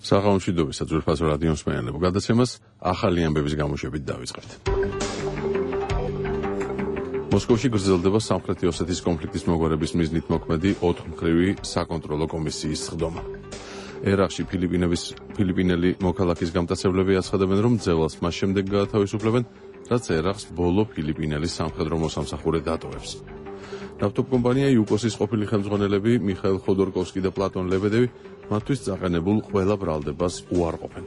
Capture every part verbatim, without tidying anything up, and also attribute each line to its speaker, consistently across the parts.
Speaker 1: საღამომშვიდობისა ძვირფასო რადიო მსმენელებო, გადაცემას ახალი ამბების გამოშვებით დავიწყებთ. მოსკოვში გრძელდება სამხრეთი ოსეთის კონფლიქტის მოგვარების მიზნით მოქმედი ოთხმხრივი საკონტროლო კომისიის სხდომა. ერაყში ფილიპინების ფილიპინელი მოქალაქის გამტაცებლები აცხადებენ, რომ ძელას მას შემდეგ გაათავისუფლებენ, რაც ერაყს ბოლო ფილიპინელი სამხედრო მოსამსახურე დატოვებს. ნავთობკომპანია იუკოსის ყოფილი ხელმძღვანელები მიხაილ ხოდორკოვსკი და პლატონ ლებედევი მათთვის წაყენებულ ყველა ბრალდებას უარყოფენ.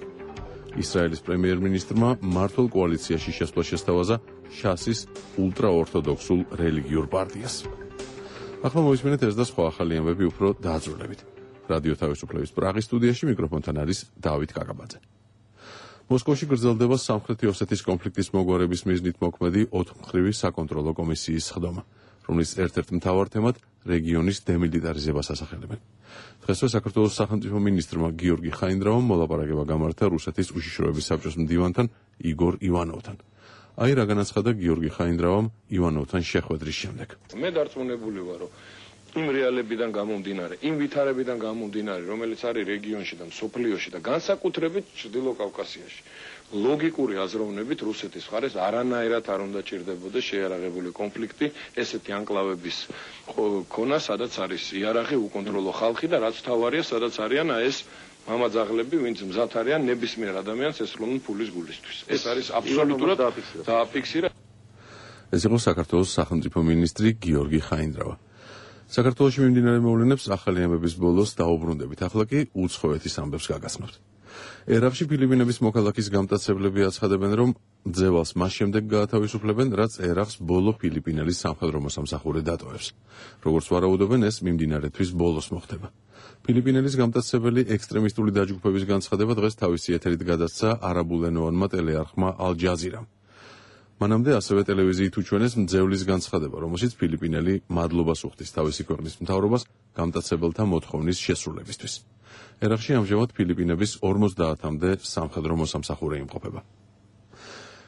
Speaker 1: ისრაელის პრემიერ-მინისტრმა მმართველ კოალიციაში შესვლა შესთავაზა შასის ულტრაორთოდოქსულ რელიგიურ პარტიას. ახლა მოვისმენთ ეს და სხვა ახალი ამბები უფრო დაძრულებით. რადიო თავისუფლების პრაღის სტუდიაში მიკროფონთან არის დავით კაკაბაძე. მოსკოვში გრძელდება სამხრეთი ოსეთის კონფლიქტის მოგვარების მიზნით მოქმედი ოთხმხრივი საკონტროლო კომისიის სხდომა, რომლის ერთ-ერთ მთავარ თემად რეგიონის დემილიტარიზებას ასახელებენ. დღესვე საქართველოს სახელმწიფო მინისტრმა გიორგი ხაინდრავამ მოლაპარაკება გამართა რუსეთის უშიშროების საბჭოს მდივანთან იგორ ივანოვთან. აი რა განაცხადა გიორგი ხაინდრავამ ივანოვთან შეხვედრის შემდეგ.
Speaker 2: მე დარწმუნებული ვარ, რომ იმ რეალებიდან გამომდინარე, იმ ვითარებიდან გამომდინარე, რომელიც არის რეგიონში და მსოფლიოში და განსაკუთრებით ჩრდილო კავკასიაში, ლოგიკური აზროვნებით რუსეთის მხარეს არანაირად არ უნდა ჭირდებოდეს შეიარაღებული კონფლიქტი, ესეთი ანკლავების ქონა, სადაც არის იარაღი, უკონტროლო ხალხი და რაც თავარია, სადაც არიან ეს მამაძაღლები, ვინც მზად არიან ნებისმიერ ადამიანს ესროლონ ფულის გულისთვის. ეს არის აბსოლუტურად დააფიქსირა.
Speaker 1: ეს იყო საქართველოს სახელმწიფო მინისტრი გიორგი ხაინდრავა. საქართველოში მიმდინარე მოვლენებს ახალი ამბების ბოლოს დაუბრუნდებით. ახლა კი უცხოეთის ამბებს გაგაცნობთ. ერაყში ფილიპინების მოქალაქის გამტაცებლები აცხადებენ, რომ ძევალს მას შემდეგ გაათავისუფლებენ, რაც ერაყს ბოლო ფილიპინელი სამხედრო მოსამსახურე დატოვებს. როგორც ვარაუდობენ, ეს მიმდინარე თვის ბოლოს მოხდება. ფილიპინელის გამტაცებელი ექსტრემისტული დაჯგუფების განცხადება დღეს თავისი ეთერით გადასცა არაბულენოვანმა ტელეარხმა ალ-ჯაზირამ. მანამდე ასევე ტელევიზიით უჩვენეს მძევლის განცხადება, რომელშიც ფილიპინელი მადლობას უხდის თავისი ქვეყნის მთავრობას გამტაცებელთა მოთხოვნის შესრულებისთვის. ერაყში ამჟამად ფილიპინების ორმოცდაათამდე სამხედრო მოსამსახურე იმყოფება.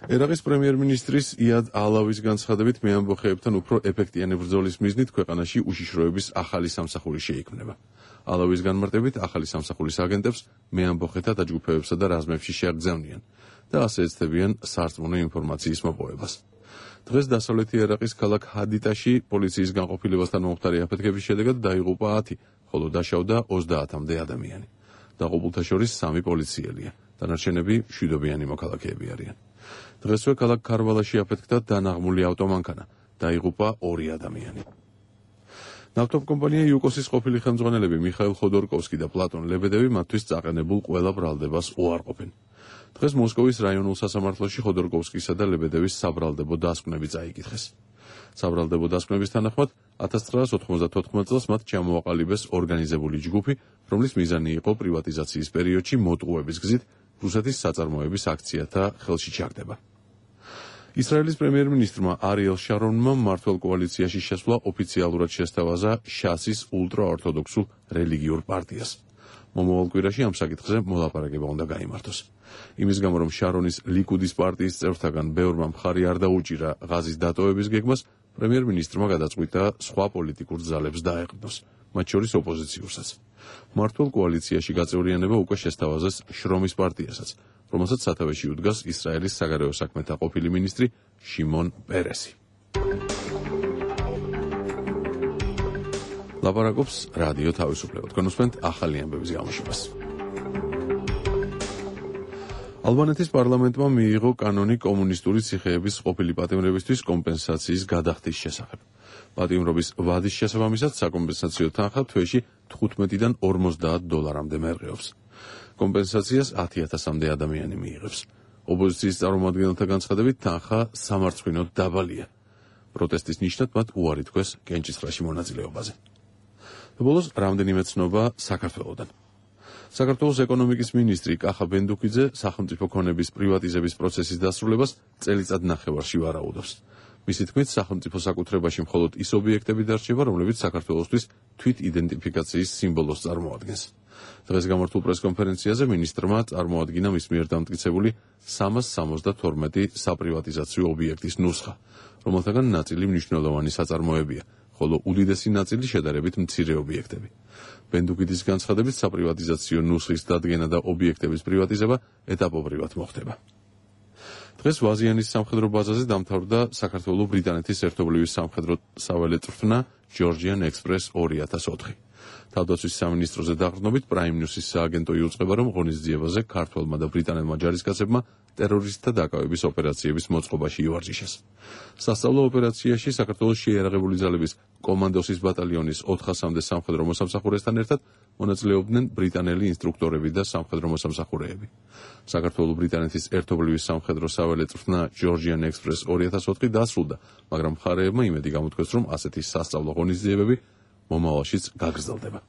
Speaker 1: ერაყის პრემიერ-მინისტრის იად ალავის განცხადებით მეამბოხეებთან უფრო ეფექტიანი ბრძოლის მიზნით ქვეყანაში უშიშროების ახალი სამსახური შეიქმნება. ალავის განმარტებით ახალი სამსახურის აგენტებს მეამბოხეთა დაჯგუფებებსა და რაზმებში შეაგზავნიან და ასე ეცდებიან სარწმუნო ინფორმაციის მოპოვებას. დღეს დასავლეთი ერაყის ქალაქ ჰადიტაში პოლიციის განყოფილებასთან მომხდარი აფეთქების შედეგად დაიღუპა ათი, ხოლო დაშავდა ოცდაათამდე ადამიანი. დაღუპულთა შორის სამი პოლიციელია, დანარჩენები მშვიდობიანი მოქალაქეები არიან. დღესვე ქალაქ ქარვალაში აფეთქდა დანაღმული ავტომანქანა, დაიღუპა ორი ადამიანი. ნავთობკომპანია იუკოსის ყოფილი ხელმძღვანელები მიხაილ ხოდორკოვსკი და პლატონ ლებედევი მათთვის წაყენებულ ყველა ბრალდებას უარყოფენ. დღეს მოსკოვის რაიონულ სასამართლოში ხოდორკოვსკისა და ლებედევის საბრალდებო დასკვნები წაიკითხეს. საბრალდებო დასკვნების თანახმად ათას ცხრაას ოთხმოცდათოთხმეტ წელს მათ ჩამოაყალიბეს ორგანიზებული ჯგუფი, რომლის მიზანი იყო პრივატიზაციის პერიოდში მოტყუების გზით რუსეთის საწარმოების აქციათა ხელში ჩაგდება. ისრაელის პრემიერ-მინისტრმა არიელ შარონმა მმართველ კოალიციაში შესვლა ოფიციალურად შესთავაზა შასის ულტრაორთოდოქსულ რელიგიურ პარტიას. მომავალ კვირაში ამ საკითხზე მოლაპარაკება უნდა გაიმართოს. იმის გამო, რომ შარონის ლიკუდის პარტიის წევრთაგან ბევრმა მხარი არ დაუჭირა ღაზის დატოვების გეგმას, პრემიერ-მინისტრმა გადაწყვიტა სხვა პოლიტიკურ ძალებს დაეყრდნოს, მათ შორის ოპოზიციურსაც. მმართველ კოალიციაში გაწევრიანება უკვე შესთავაზეს შრომის პარტიასაც, რომელსაც სათავეში უდგას ისრაელის საგარეო საქმეთა ყოფილი მინისტრი შიმონ პერესი. ლაპარაკობს რადიო თავისუფლება. თქვენ უსმენთ ახალი ამბების გამოშვებას. ალბანეთის პარლამენტმა მიიღო კანონი კომუნისტური ციხეების ყოფილი პატიმრებისთვის კომპენსაციის გადახდის შესახებ. პატიმრობის ვადის შესაბამისად საკომპენსაციო თანხა თვეში თხუთმეტიდან ორმოცდაათ დოლარამდე მერყეობს. კომპენსაციას ათი ათასამდე ადამიანი მიიღებს. ოპოზიციის წარმომადგენელთა განცხადებით თანხა სამარცხვინოდ დაბალია. პროტესტის ნიშნად მათ უარი თქვეს კენჭისყრაში მონაწილეობაზე. ბოლოს რამდენიმე ცნობა საქართველოდან. საქართველოს ეკონომიკის მინისტრი კახა ბენდუქიძე სახელმწიფო ქონების პრივატიზების პროცესის დასრულებას წელიწად ნახევარში ვარაუდობს. მისი თქმით, სახელმწიფო საკუთრებაში მხოლოდ ის ობიექტები დარჩება, რომლებიც საქართველოსთვის თვით იდენტიფიკაციის სიმბოლოს წარმოადგენს. დღეს გამართულ პრესკონფერენციაზე მინისტრმა წარმოადგინა მის მიერ დამტკიცებული სამას სამოცდათორმეტი საპრივატიზაციო ობიექტის ნუსხა, რომელთაგან ნაწილი მნიშვნელოვანი საწარმოებია, ხოლო უდიდესი ნაწილი შედარებით მცირე ობიექტები. ბენდუგიდის განცხადებით საპრივატიზაციო ნუსხის დადგენა და ობიექტების პრივატიზება ეტაპობრივად მოხდება. დღეს ვაზიანის სამხედრო ბაზაზე დამთავრდა საქართველო-ბრიტანეთის ერთობლივი სამხედრო საველე წვრთნა Georgian Express ორი ათას ოთხი. თავდაცვის სამინისტროზე დაყრდნობით Prime News-ის სააგენტო იუწყება, რომ ღონისძიებაზე ქართველმა და ბრიტანელმა ჯარისკაცებმა ტერორისტთა დაკავების ოპერაციების მოწყობაში ივარჯიშეს. სასწავლო ოპერაციაში საქართველოს შეიარაღებული ძალების კომანდოსის ბატალიონის ოთხასამდე სამხედრო მოსამსახურესთან ერთად მონაწილეობდნენ ბრიტანელი ინსტრუქტორები და სამხედრო მოსამსახურეები. საქართველო-ბრიტანეთის ერთობლივი სამხედრო საველე წვრთნა Georgian Express ორი ათას ოთხი დასრულდა, მაგრამ მხარეებმა იმედი გამოთქვეს, რომ ასეთი სასწავლო ღონისძიებები მომავალშიც გაგრძელდება.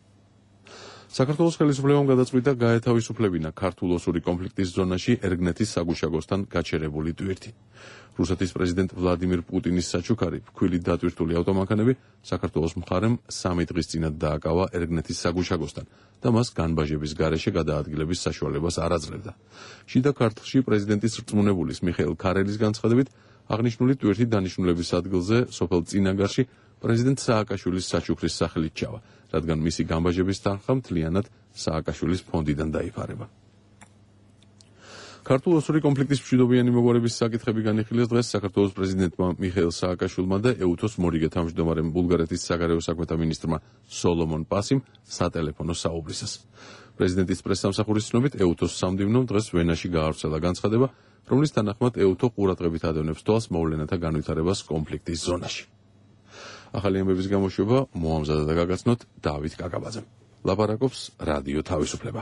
Speaker 1: საქართველოს ხელისუფლებამ გადაწყვიტა გაეთავისუფლებინა ქართულ-ოსური კონფლიქტის ზონაში ერგნეთის საგუშაგოსთან გაჩერებული ტვირთი. რუსეთის პრეზიდენტ ვლადიმირ პუტინის საჩუქარი ფქვილით დატვირთული ავტომანქანები საქართველოს მხარემ სამი დღის წინათ დააკავა ერგნეთის საგუშაგოსთან და მას განბაჟების გარეშე გადაადგილების საშუალებას არ აძლევდა. შიდა ქართლში პრეზიდენტის რწმუნებულის მიხეილ ქარელის განცხადებით, აღნიშნული ტვირთი დანიშნულების ადგილზე სოფელ წინაგარში პრეზიდენტ სააკაშვილის საჩუქრის სახელით ჩავა, რადგან მისი განბაჟების თანხა მთლიანად სააკაშვილის ფონდიდან დაიფარება. ქართულ-ოსური კონფლიქტის მშვიდობიანი მოგვარების საკითხები განიხილეს დღეს საქართველოს პრეზიდენტმა მიხეილ სააკაშვილმა და ეუთოს მორიგე თავმჯდომარემ ბულგარეთის საგარეო საქმეთა მინისტრმა სოლომონ პასიმ სატელეფონო საუბრისას. პრეზიდენტის პრესსამსახურის ცნობით, ეუთოს სამდივნომ დღეს ვენაში გაავრცელა განცხადება, რომლის თანახმად ეუთო ყურადღებით ადევნებს თვალს მოვლენათა განვითარებას კონფლიქტის ზონაში. ახალი ამბების გამოშვება მოამზადა და გაგაცნოთ დავით კაკაბაძემ. ლაპარაკობს რადიო თავისუფლება.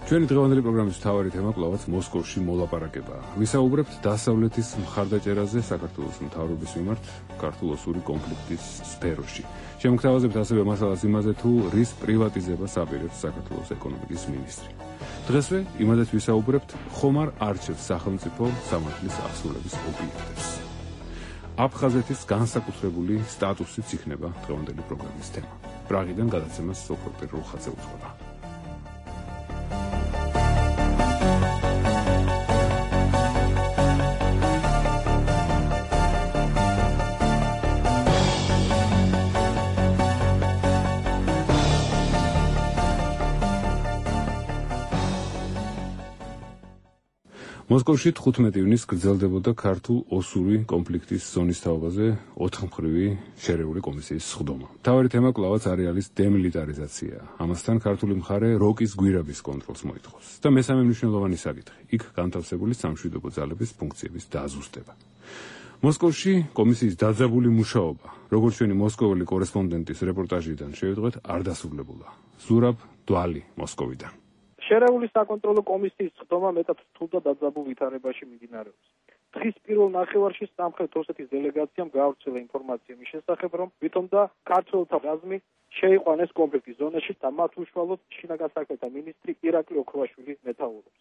Speaker 3: ჩვენი დღევანდელი პროგრამის მთავარი თემა კვლავაც მოსკოვში მოლაპარაკებაა. ვისაუბრებთ დასავლეთის მხარდაჭერაზე საქართველოს მთავრობის მიმართ ქართულ-ოსური კონფლიქტის სფეროში. შემოგთავაზებთ ასევე მასალას იმაზე, თუ რის პრივატიზებას აპირებს საქართველოს ეკონომიკის მინისტრი. დღესვე იმადაც ვისაუბრებთ, ხომ არ არჩევს სახელმწიფო სამართლის აღსრულების ობიექტებს. აფხაზეთის განსაკუთრებული სტატუსიც იქნება დღევანდელი პროგრამის თემა. პრაღიდან გადაცემას სოფროპერ რუხაძე უძღვება. მოსკოვში თხუთმეტი ივნისს გრძელდებოდა ქართულ-ოსური კონფლიქტის ზონის თაობაზე ოთხმხრივი შერეული კომისიის სხდომა. მთავარი თემა კვლავაც არეალის დემილიტარიზაცია. ამასთან ქართული მხარე როკის გვირაბის კონტროლს მოითხოვს. და მესამე მნიშვნელოვანი საკითხი, იქ განთავსებული სამშვიდობო ძალების ფუნქციების დაზუსტება. მოსკოვში კომისიის დაძაბული მუშაობა, როგორც ჩვენი მოსკოველი კორესპონდენტის რეპორტაჟიდან შევიტყვეთ, არ დასრულებულა. ზურაბ დვალი მოსკოვიდან.
Speaker 4: შერეული საკონტროლო კომისიის სხდომა მეტად რთულ და დაძაბულ ვითარებაში მიმდინარეობს. დღის პირველ ნახევარში სამხრეთ ოსეთის დელეგაციამ გაავრცელა ინფორმაცია მის შესახებ, რომ ვითომდა ქართველთა რაზმი შეიყვანეს კონფლიქტის ზონაში და მათ უშუალოდ შინაგან საქმეთა მინისტრი ირაკლი ოქროვაშვილი მეთაურობს.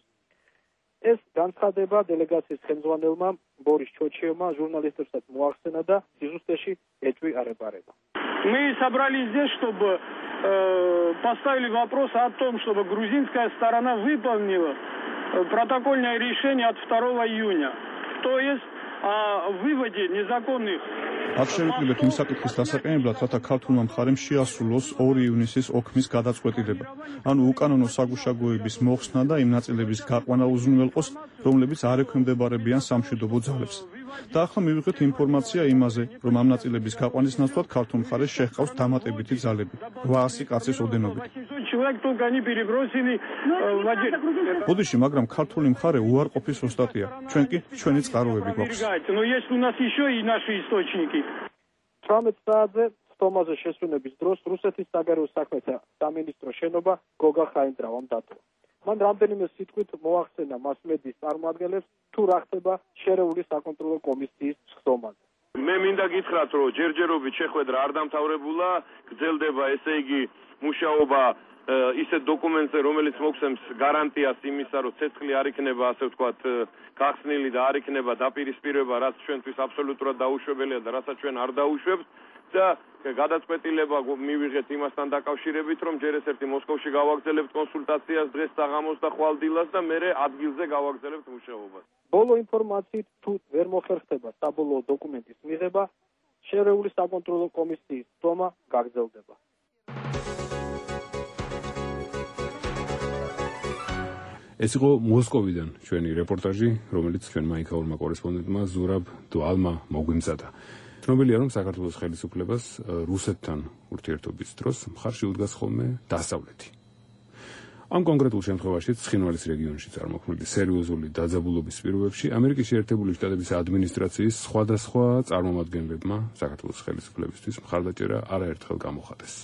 Speaker 4: ეს განცხადება дელეგაციის ხელმძღვანელმა ბორის ჩოჩიევმა ჟურნალისტებსაც მოახსენა და სიზუსტეში ეჭვი არ ებარება.
Speaker 5: Мы собрались здесь, чтобы э, поставили вопрос о том, чтобы грузинская сторона выполнила протокольное решение от второго июня. То есть о выводе незаконных.
Speaker 6: აქ შევიკრიბეთ იმ საკითხის დასაყენებლად, რათა ქართულმა მხარემ შეასრულოს ორი ივნისის ოქმის გადაწყვეტილება, ანუ უკანონო საგუშაგოების მოხსნა და იმ ნაწილების გაყვანა უზრუნველყოს, რომლებიც არ ექვემდებარებიან სამშვიდობო ძალებს. და ახლა მივიღეთ ინფორმაცია იმაზე, რომ ამ ნაწილების გაყვანის ნაცვლად ქართულ მხარეს შეჰყავს დამატებითი ძალები, რვაასი კაცის ოდენობით. ბოდიში, მაგრამ ქართული მხარე უარყოფის ოსტატია, ჩვენ კი ჩვენი წყაროები გვაქვს.
Speaker 4: თვრამეტ საათზე სხდომაზე შესვენების დროს რუსეთის საგარეო საქმეთა სამინისტრო შენობა გოგა ხაინდრავამ დატოვა. მან რამდენიმე სიტყვით მოახსენა მასმედიის წარმომადგენლებს, თუ რა ხდება შერეული საკონტროლო კომისიის სხდომაზე.
Speaker 2: მე მინდა გითხრათ, რომ ჯერჯერობით შეხვედრა არ დამთავრებულა, გრძელდება, ესე იგი, მუშაობა ისეთ დოკუმენტზე, რომელიც მოგცემს გარანტიას იმისა, რომ ცეცხლი არ იქნება, ასე ვთქვათ, გახსნილი და არ იქნება დაპირისპირება, რაც ჩვენთვის აბსოლუტურად დაუშვებელია და რასაც ჩვენ არ დაუშვებთ და გადაწყვეტილება მივიღეთ იმასთან დაკავშირებით, რომ ჯერ ერთ-ერთი მოსკოვში გავაგრძელებთ კონსულტაციას დღეს საღამოს და ხვალდილას და მერე ადგილზე გავაგრძელებთ მუშაობას.
Speaker 4: ბოლო ინფორმაციით თუ ვერ მოხერხდება საბოლოო დოკუმენტის მიღება, შერეული საკონტროლო კომისიის თომა გაგრძელდება.
Speaker 3: ეს იყო მოსკოვიდან ჩვენი რეპორტაჟი, რომელიც ჩვენმა იქაურმა კორესპონდენტმა ზურაბ დვალმა მოგვიმზადა. ცნობილია, რომ საქართველოს ხელისუფლებას რუსეთთან ურთიერთობის დროს მხარში უდგას ხოლმე დასავლეთი. ამ კონკრეტულ შემთხვევაში ცხინვალის რეგიონში წარმოქმნილი სერიოზული დაძაბულობის პირობებში ამერიკის შეერთებული შტატების ადმინისტრაციის სხვადასხვა წარმომადგენლებმა საქართველოს ხელისუფლებისთვის მხარდაჭერა არაერთხელ გამოხატეს.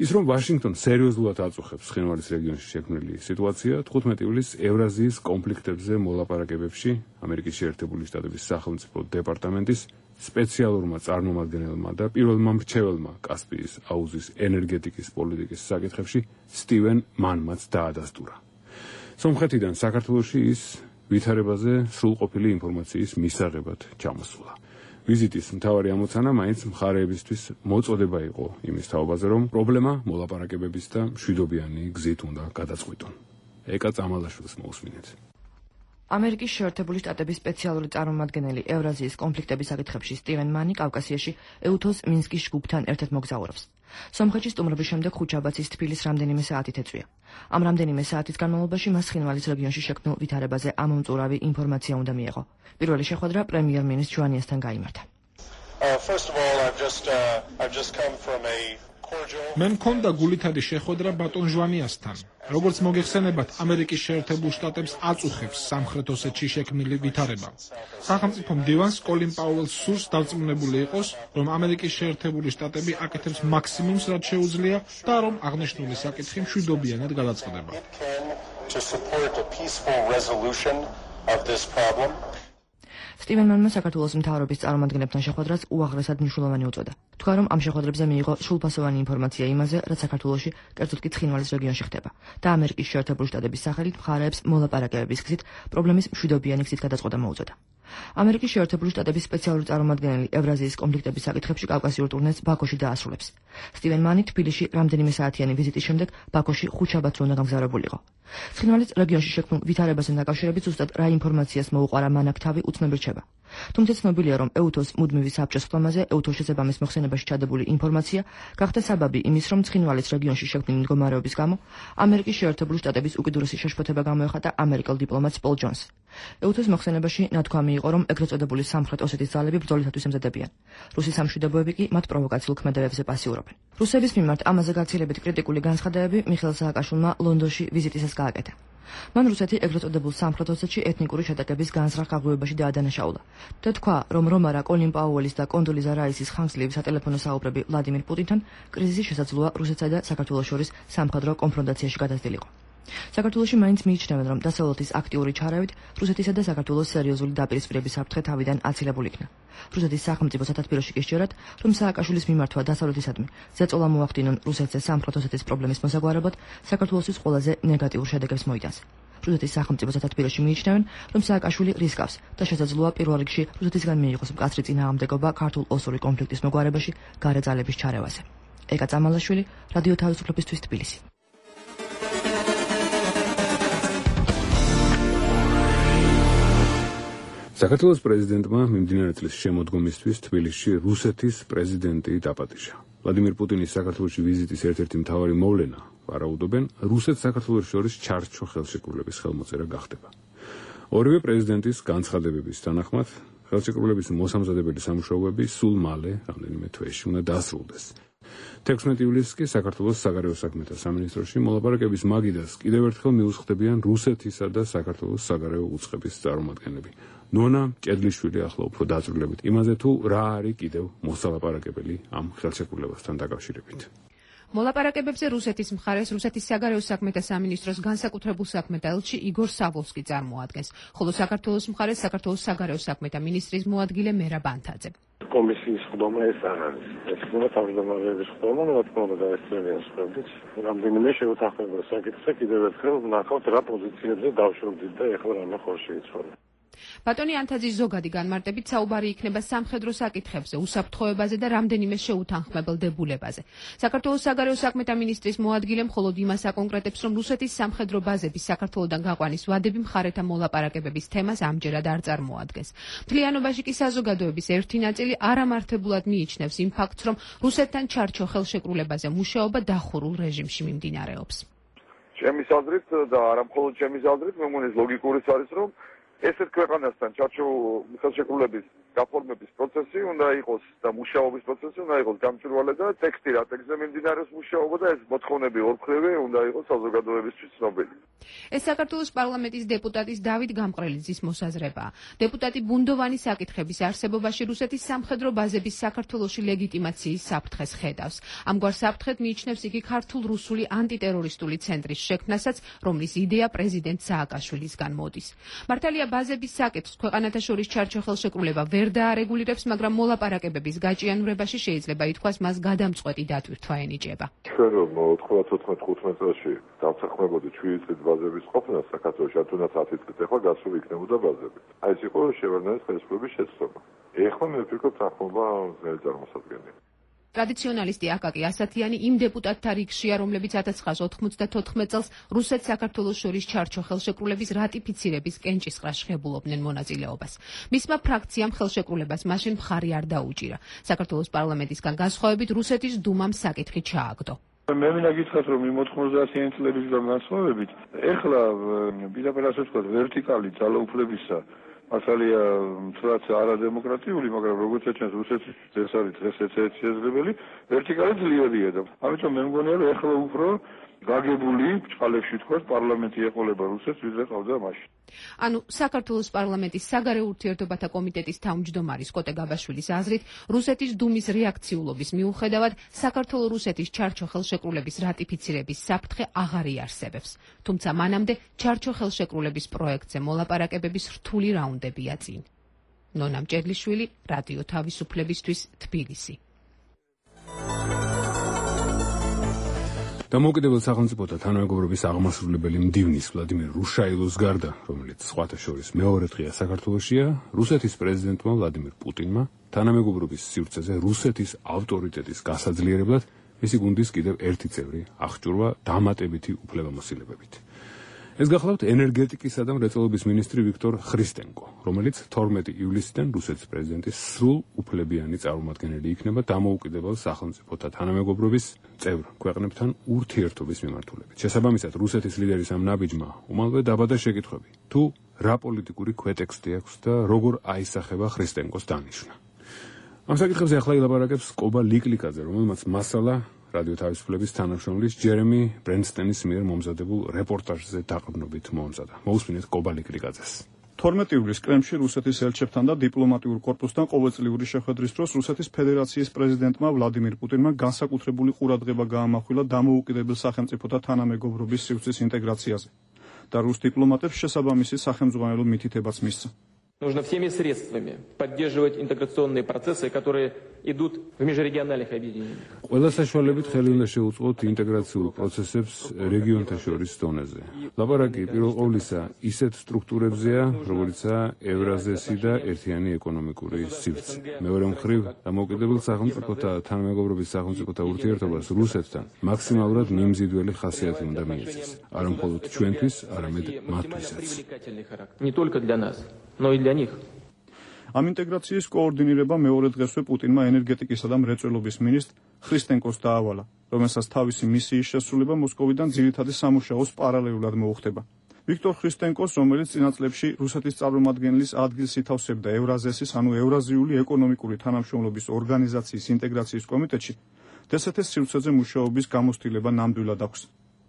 Speaker 3: ის რომ ვაშინგტონი სერიოზულად აწუხებს ცხინვალის რეგიონში შექმნილი სიტუაცია, თხუთმეტი ივლისს ევრაზიის კონფლიქტებზე მოლაპარაკებებში ამერიკის შეერთებული შტატების სახელმწიფო დეპარტამენტის სპეციალურმა წარმომადგენელმა და პირველმა მრჩეველმა კასპიის აუზის ენერგეტიკის პოლიტიკის საკითხებში სტივენ მანმაც დაადასტურა. სომხეთიდან საქართველოში ის ვითარებაზე სრულყოფილი ინფორმაციის მისაღებად ჩამოსულა. ვიზიტის მთავარი ამოცანა მაინც მხარეებისთვის მოწოდება იყო იმის თაობაზე, რომ პრობლემა მოლაპარაკებების და მშვიდობიანი გზით უნდა გადაწყვეტონ. ეკა წამალაშვილს მოусმინეთ.
Speaker 7: ამერიკის შეერთებული შტატების სპეციალური წარმომადგენელი ევრაზიის კონფლიქტების საკითხებში სტივენ მანი კავკასიაში ეუთოს მინსკის ჯგუფთან ერთად მოგზაურობს. სომხეთში სტუმრობის შემდეგ ხუჩაბაცის თბილის რამდენიმე საათით ეწვია. ამ რამდენიმე საათის განმავლობაში მას ცხინვალის რეგიონში შექმნილ ვითარებაზე ამომწურავი ინფორმაცია უნდა მიეღო. პირველი შეხვედრა პრემიერ-მინისტრ ჟვანიასთან გაიმართა.
Speaker 8: მე მქონდა გულითადი შეხვედრა ბატონ ჟვანიასთან. როგორც მოგეხსენებათ, ამერიკის შეერთებულ შტატებს აწუხებს სამხრეთ ოსეთში შექმნილი ვითარება. სახელმწიფო მდივანს კოლინ პაუელს სურს დარწმუნებული იყოს, რომ ამერიკის შეერთებული შტატები აკეთებს მაქსიმუმს, რაც შეუძლია და რომ აღნიშნული საკითხი მშვიდობიანად გადაწყდება.
Speaker 7: სტივენ მანმა საქართველოს მთავრობის წარმომადგენლებთან შეხვედრას უაღრესად მნიშვნელოვანი უწოდა. თქვა, რომ ამ შეხვედრებზე მიიღო სრულფასოვანი ინფორმაცია იმაზე, რაც საქართველოში, კერძოდ კი ცხინვალის რეგიონში ხდება და ამერიკის შეერთებული შტატების სახელით მხარეებს მოლაპარაკებების გზით პრობლემის მშვიდობიანი გზით გადაწყვეტა მოუწოდა. ამერიკის შეერთებული შტატების სპეციალური წარმომადგენელი ევრაზიის კონფლიქტების საკითხებში კავკასიურ ტურნეს ბაქოში დაასრულებს. სტივენ მანი თბილისში რამდენიმე საათიანი ვიზიტის შემდეგ ბაქოში ხუჩაბათზე უნდა გამგზავრებულიყო. ცხინვალის რეგიონში შექმნილ ვითარებასთან დაკავშირებით ზუსტად რა ინფორმაციას მოუყარა მანაკ თავი უცნობი რჩება. თუმცა ცნობილია, რომ ეუთოს მუდმივი საბჭოს ხტომაზე ეუთოს შესაბამის მოხსენებაში ჩადებული ინფორმაცია გახდა საბაბი იმის, რომ ცხინვალის რეგიონში შექმნილი მდგომარეობის გამო ამერიკის შეერთებული შტატების უკიდურესი შეშფოთება გამოეხატა ამერიკელ დიპლომატს პოლ ჯონს. ეუთოს მოხსენებაში ნათქვამი იყო, რომ ეგრეთ წოდებული სამხრეთ ოსეთის ძალები ბრძოლისათვის ემზადებიან. რუსი სამშვიდობოები კი მათ პროვოკაციულ ქმედებებზე პასიურობენ. რუსების მიმართ ამაზე გაცილებით კრიტიკული განცხადებები მიხეილ სააკაშვილმა ლონდონში ვიზიტისას გააკეთა. მან რუსეთი ეგრეთ წოდებულ სამხრეთ ოსეთში ეთნიკური შეტაკების განზრახ გაღვივებაში დაადანაშაულა და თქვა, რომ რომარა კოლინ პაუელის და კონდოლიზა რაისის ხანგრძლივი სატელეფონო საუბრები ვლადიმირ პუტინთან კრიზისი შესაძლოა რუსეთსა და საქართველოს შორის სამხედრო კონფრონტაციაში გადასდილიყო. საქართველოში მაინც მიიჩნევენ, რომ დასავლეთის აქტიური ჩარავით რუსეთისა და საქართველოს სერიოზული დაპირისპირების საფრთხე თავიდან აცილებული იქნა. რუსეთის სახელმწიფო სათათბიროში კი სჯერათ, რომ სააკაშვილის მიმართვა დასავლეთისადმი ზეწოლა მოახდინონ რუსეთზე სამხრეთ ოსეთის პრობლემის მოსაგვარებლად, საქართველოსთვის ყველაზე ნეგატიურ შედეგებს მოიტანს. რუსეთის სახელმწიფო სათათბიროში მიიჩნევენ, რომ სააკაშვილი რისკავს და შესაძლოა პირველ რიგში რუსეთისგან მიიღოს მკაცრი წინააღმდეგობა ქართულ-ოსური კონფლიქტის მოგვარებაში გარე ძალების ჩარევაზე. ეკა წამალაშვილი, რადიო თავისუფლებისთვის თბილისი.
Speaker 3: საქართველოს პრეზიდენტმა მიმდინარე წლის შემოდგომისთვის თბილისში რუსეთის პრეზიდენტი დაპატიჟა. ვლადიმირ პუტინის საქართველოში ვიზიტის ერთ-ერთი მთავარი მოვლენა, ვარაუდობენ, რუსეთს საქართველოს შორის ჩარჩო ხელშეკრულების ხელმოწერა გახდება. ორივე პრეზიდენტის განცხადებების თანახმად, ხელშეკრულების მოსამზადებელი სამუშაოები სულ მალე, რამდენიმე თვეში უნდა დასრულდეს. თექვსმეტი ივლისს კი საქართველოს საგარეო საქმეთა სამინისტროში მოლაპარაკების მაგიდას კიდევ ერთხელ მიუსხდებიან რუსეთისა და საქართველოს საგარეო უწყების წარმომადგენლები. ნონა ჭედლიშვილი ახლა უფრო დაწვრილებით იმაზე, თუ რა არის კიდევ მოსალაპარაკებელი ამ ხელშეკრულებასთან დაკავშირებით.
Speaker 9: მოლაპარაკებებზე რუსეთის მხარეს რუსეთის საგარეო საქმეთა სამინისტროს განსაკუთრებულ საქმეთა ელჩი იგორ სავოლსკი წარმოადგენს, ხოლო საქართველოს მხარეს საქართველოს საგარეო საქმეთა მინისტრის მოადგილე მერაბ ანთაძე.
Speaker 2: კომისიის ხდომა ეს არ არის. ეს ხდომა თავმჯდომარეების ხდომა, რა თქმა უნდა, დაესწრებიან სხვებიც. რამდენიმე შეუთანხმება საკითხზე კიდევ ერთხელ ვნახავთ რა პოზიციებზე დავშორდით და ეხლა რამე ხორში იცვალა.
Speaker 9: ბატონი ანთაძის ზოგადი განმარტებით საუბარი იქნება სამხედრო საკითხებზე, უსაფრთხოებაზე და რამდენიმე შეუთანხმებელ დებულებაზე. საქართველოს საგარეო საქმეთა მინისტრის მოადგილე მხოლოდ იმას აკონკრეტებს, რომ რუსეთის სამხედრო ბაზების საქართველოსდან გაყვანის ვადები მხარეთა მოლაპარაკებების თემას ამჯერად არ წარმოადგენს. მთლიანობაში კი საზოგადოების ერთი ნაწილი არამართებულად მიიჩნევს იმ ფაქტს, რომ რუსეთთან ჩარჩო ხელშეკრულებაზე მუშაობა დახურულ რეჟიმში მიმდინარეობს.
Speaker 10: ჩემის აზრით და არა მხოლოდ ჩემის აზრით, მე მგონი ლოგიკურიც არის, რომ ესეთ ქვეყანასთან ჩარჩო ხელშეკრულების გაფორმების პროცესი უნდა იყოს და მუშაობის პროცესი უნდა იყოს გამჭვირვალე და ტექსტი რა ტექსტზე მიმდინარეობს მუშაობა და ეს მოთხოვნები ორმხრივი უნდა იყოს საზოგადოებისთვის ცნობილი.
Speaker 9: ეს საქართველოს პარლამენტის დეპუტატის დავით გამყრელიძის მოსაზრებაა. დეპუტატი ბუნდოვანი საკითხების არსებობაში რუსეთის სამხედრო ბაზების საქართველოში ლეგიტიმაციის საფრთხეს ხედავს. ამგვარ საფრთხედ მიიჩნევს იგი ქართულ-რუსული ანტიტერორისტული ცენტრის შექმნასაც, რომლის იდეა პრეზიდენტ სააკაშვილისგან მოდის. მართალია ბაზების საკითხს ქვეყანათა შორის ჩარჩო ხელშეკრულება ვერ დაარეგულირებს, მაგრამ მოლაპარაკებების გაჭიანურებაში შეიძლება ითქვას მას გადამწყვეტი დატვირთვა ენიჭება.
Speaker 10: ჩვენ რომ ოთხმოცდაოთხ თხუთმეტ წელში დავსახმებოდით შვიდი წლის ბაზების ყოფნა საქართველოში, თუნდაც ათი წლით ახლა გასული იქნებოდა ბაზები. აი ეს იყო შევარდნალის ხელისუფლების შეცდომა. ეხლა მე ვფიქრობ თანხმობა ძნელი წარმოსადგენია.
Speaker 9: ტრადიციონალისტი აკაკი ასათიანი იმ დეპუტატთა რიგშია, რომლებიც ათას ცხრაასი ოთხმოცდათოთხმეტ წელს რუსეთს საქართველოს შორის ჩარჩო ხელშეკრულების რატიფიცირების კენჭისყრას ღებულობდნენ მონაწილეობას. მისმა ფრაქციამ ხელშეკრულებას მაშინ მხარი არ დაუჭირა. საქართველოს პარლამენტისგან განსხვავებით რუსეთის დუმამ საკითხი ჩააგდო.
Speaker 2: მე მინდა გითხრათ, რომ იმ ოთხმოცდაათიანი წლების განსხვავებით, ეხლა პირდაპირ ასე ვთქვათ, ვერტიკალი ძალაუფლებისა მასალია თუნდაც არადემოკრატიული, მაგრამ როგორც ეჩვენს რუსეთის ეს არის დღეს ერთ-ერთი შესაძლებელი, ვერტიკალი ძლიერია და ამიტომ მე მგონია, რომ ეხლა უფრო გაგებული ჭყალებში თქვათ პარლამენტი ეყოლება რუსეთს, ვიდრე ყავდა მაშინ.
Speaker 9: ანუ საქართველოს პარლამენტის საგარეო ურთიერთობათა კომიტეტის თავმჯდომარის კოტე გაბაშვილის აზრით, რუსეთის დუმის რეაქციულობის მიუხედავად, საქართველო-რუსეთის ჩარჩო ხელშეკრულების რატიფიცირების საფრთხე აღარ იარსებებს. თუმცა მანამდე ჩარჩო ხელშეკრულების პროექტზე მოლაპარაკებების რთული რაუნდებია წინ. ნონა მჭედლიშვილი, რადიო თავისუფლებისთვის, თბილისი.
Speaker 3: დამოუკიდებელ სახელმწიფოთა თანამეგობრობის აღმასრულებელი მდივნის ვლადიმერ რუშაილოს გარდა, რომელიც სხვათა შორის მეორე დღეა საქართველოშია, რუსეთის პრეზიდენტმა ვლადიმერ პუტინმა თანამეგობრობის სივრცეზე რუსეთის ავტორიტეტის გასაძლიერებლად მისი გუნდის კიდევ ერთი წევრი აღჭურვა დამატებითი უფლებამოსილებებით. ეს გახლავთ ენერგეტიკისა და მრეწველობის მინისტრი ვიქტორ ხრისტენკო, რომელიც თორმეტი ივლისიდან რუსეთის პრეზიდენტის სრულ უფლებიანი წარმომადგენელი იქნება დამოუკიდებელ სახელმწიფოთა თანამეგობრობის წევრ ქვეყნებთან ურთიერთობის მიმართულებით. შესაბამისად, რუსეთის ლიდერის ამ ნაბიჯმა უმალვე დაბადა შეკითხვები, თუ რა პოლიტიკური ქვეტექსტი აქვს და როგორ აისახება ხრისტენკოს დანიშვნა. ამ საკითხებზე ახლა ილაპარაკებს კობა ლიკლიკაძე, რომელმაც მასალა რადიო თავისუფლების თანამშრომლის ჯერემი ბრენსტენის მიერ მომზადებულ რეპორტაჟზე დაყრდნობით მოამზადა. მოусმინეთ კობა ლიკლიკაძეს.
Speaker 6: თორმეტი ივლისს კრემლში რუსეთის ელჩებთან და დიპლომატიურ კორპუსთან ყოველწლიური შეხვედრის დროს რუსეთის ფედერაციის პრეზიდენტმა ვლადიმირ პუტინმა განსაკუთრებული ყურადღება გაამახვილა დამოუკიდებელ სახელმწიფოთა თანამეგობრობის სივრცის ინტეგრაციაზე და რუს დიპლომატებს შესაბამისი სახელმძღვანელო მითითებაც მისცა.
Speaker 11: Нужно всеми средствами поддерживать интеграционные процессы, которые идут в межрегиональных объединениях.
Speaker 3: ყველა საშუალებით ხელი უნდა შეუწყოთ ინტეგრაციულ პროცესებს რეგიონთა შორის დონეზე. ლაპარაკი პირველ ყოვლისა ისეთ სტრუქტურებზეა, როგორიცაა ევრაზესი და ერთიანი ეკონომიკური სივრცე. მეორე მხრივ, დამოუკიდებელ სახელმწიფოთა თანამეგობრობის სახელმწიფოთა ურთიერთობას რუსეთთან მაქსიმალურად მიმზიდველი ხასიათი უნდა მიეცეს. არა მხოლოდ ჩვენთვის, არამედ მათთვისაც.
Speaker 11: Не только для нас, но и для них.
Speaker 6: ამ ინტეგრაციის კოორდინირება მეორე დღესვე პუტინმა ენერგეტიკისა და მრეწველობის მინისტრ ხრისტენკოს დაავალა, რომელსაც თავისი მისიის შესრულება მოსკოვიდან ძირითადი სამუშაოს პარალელურად მოუხდება. ვიქტორ ხრისტენკოს, რომელიც წინა წლებში რუსეთის წარმომადგენლის ადგილს ითავსებდა ევრაზესის, ანუ ევრაზიული ეკონომიკური თანამშრომლობის ორგანიზაციის ინტეგრაციის კომიტეტში, დსთ-ის სივრცეზე მუშაობის გამოცდილება ნამდვილად აქვს.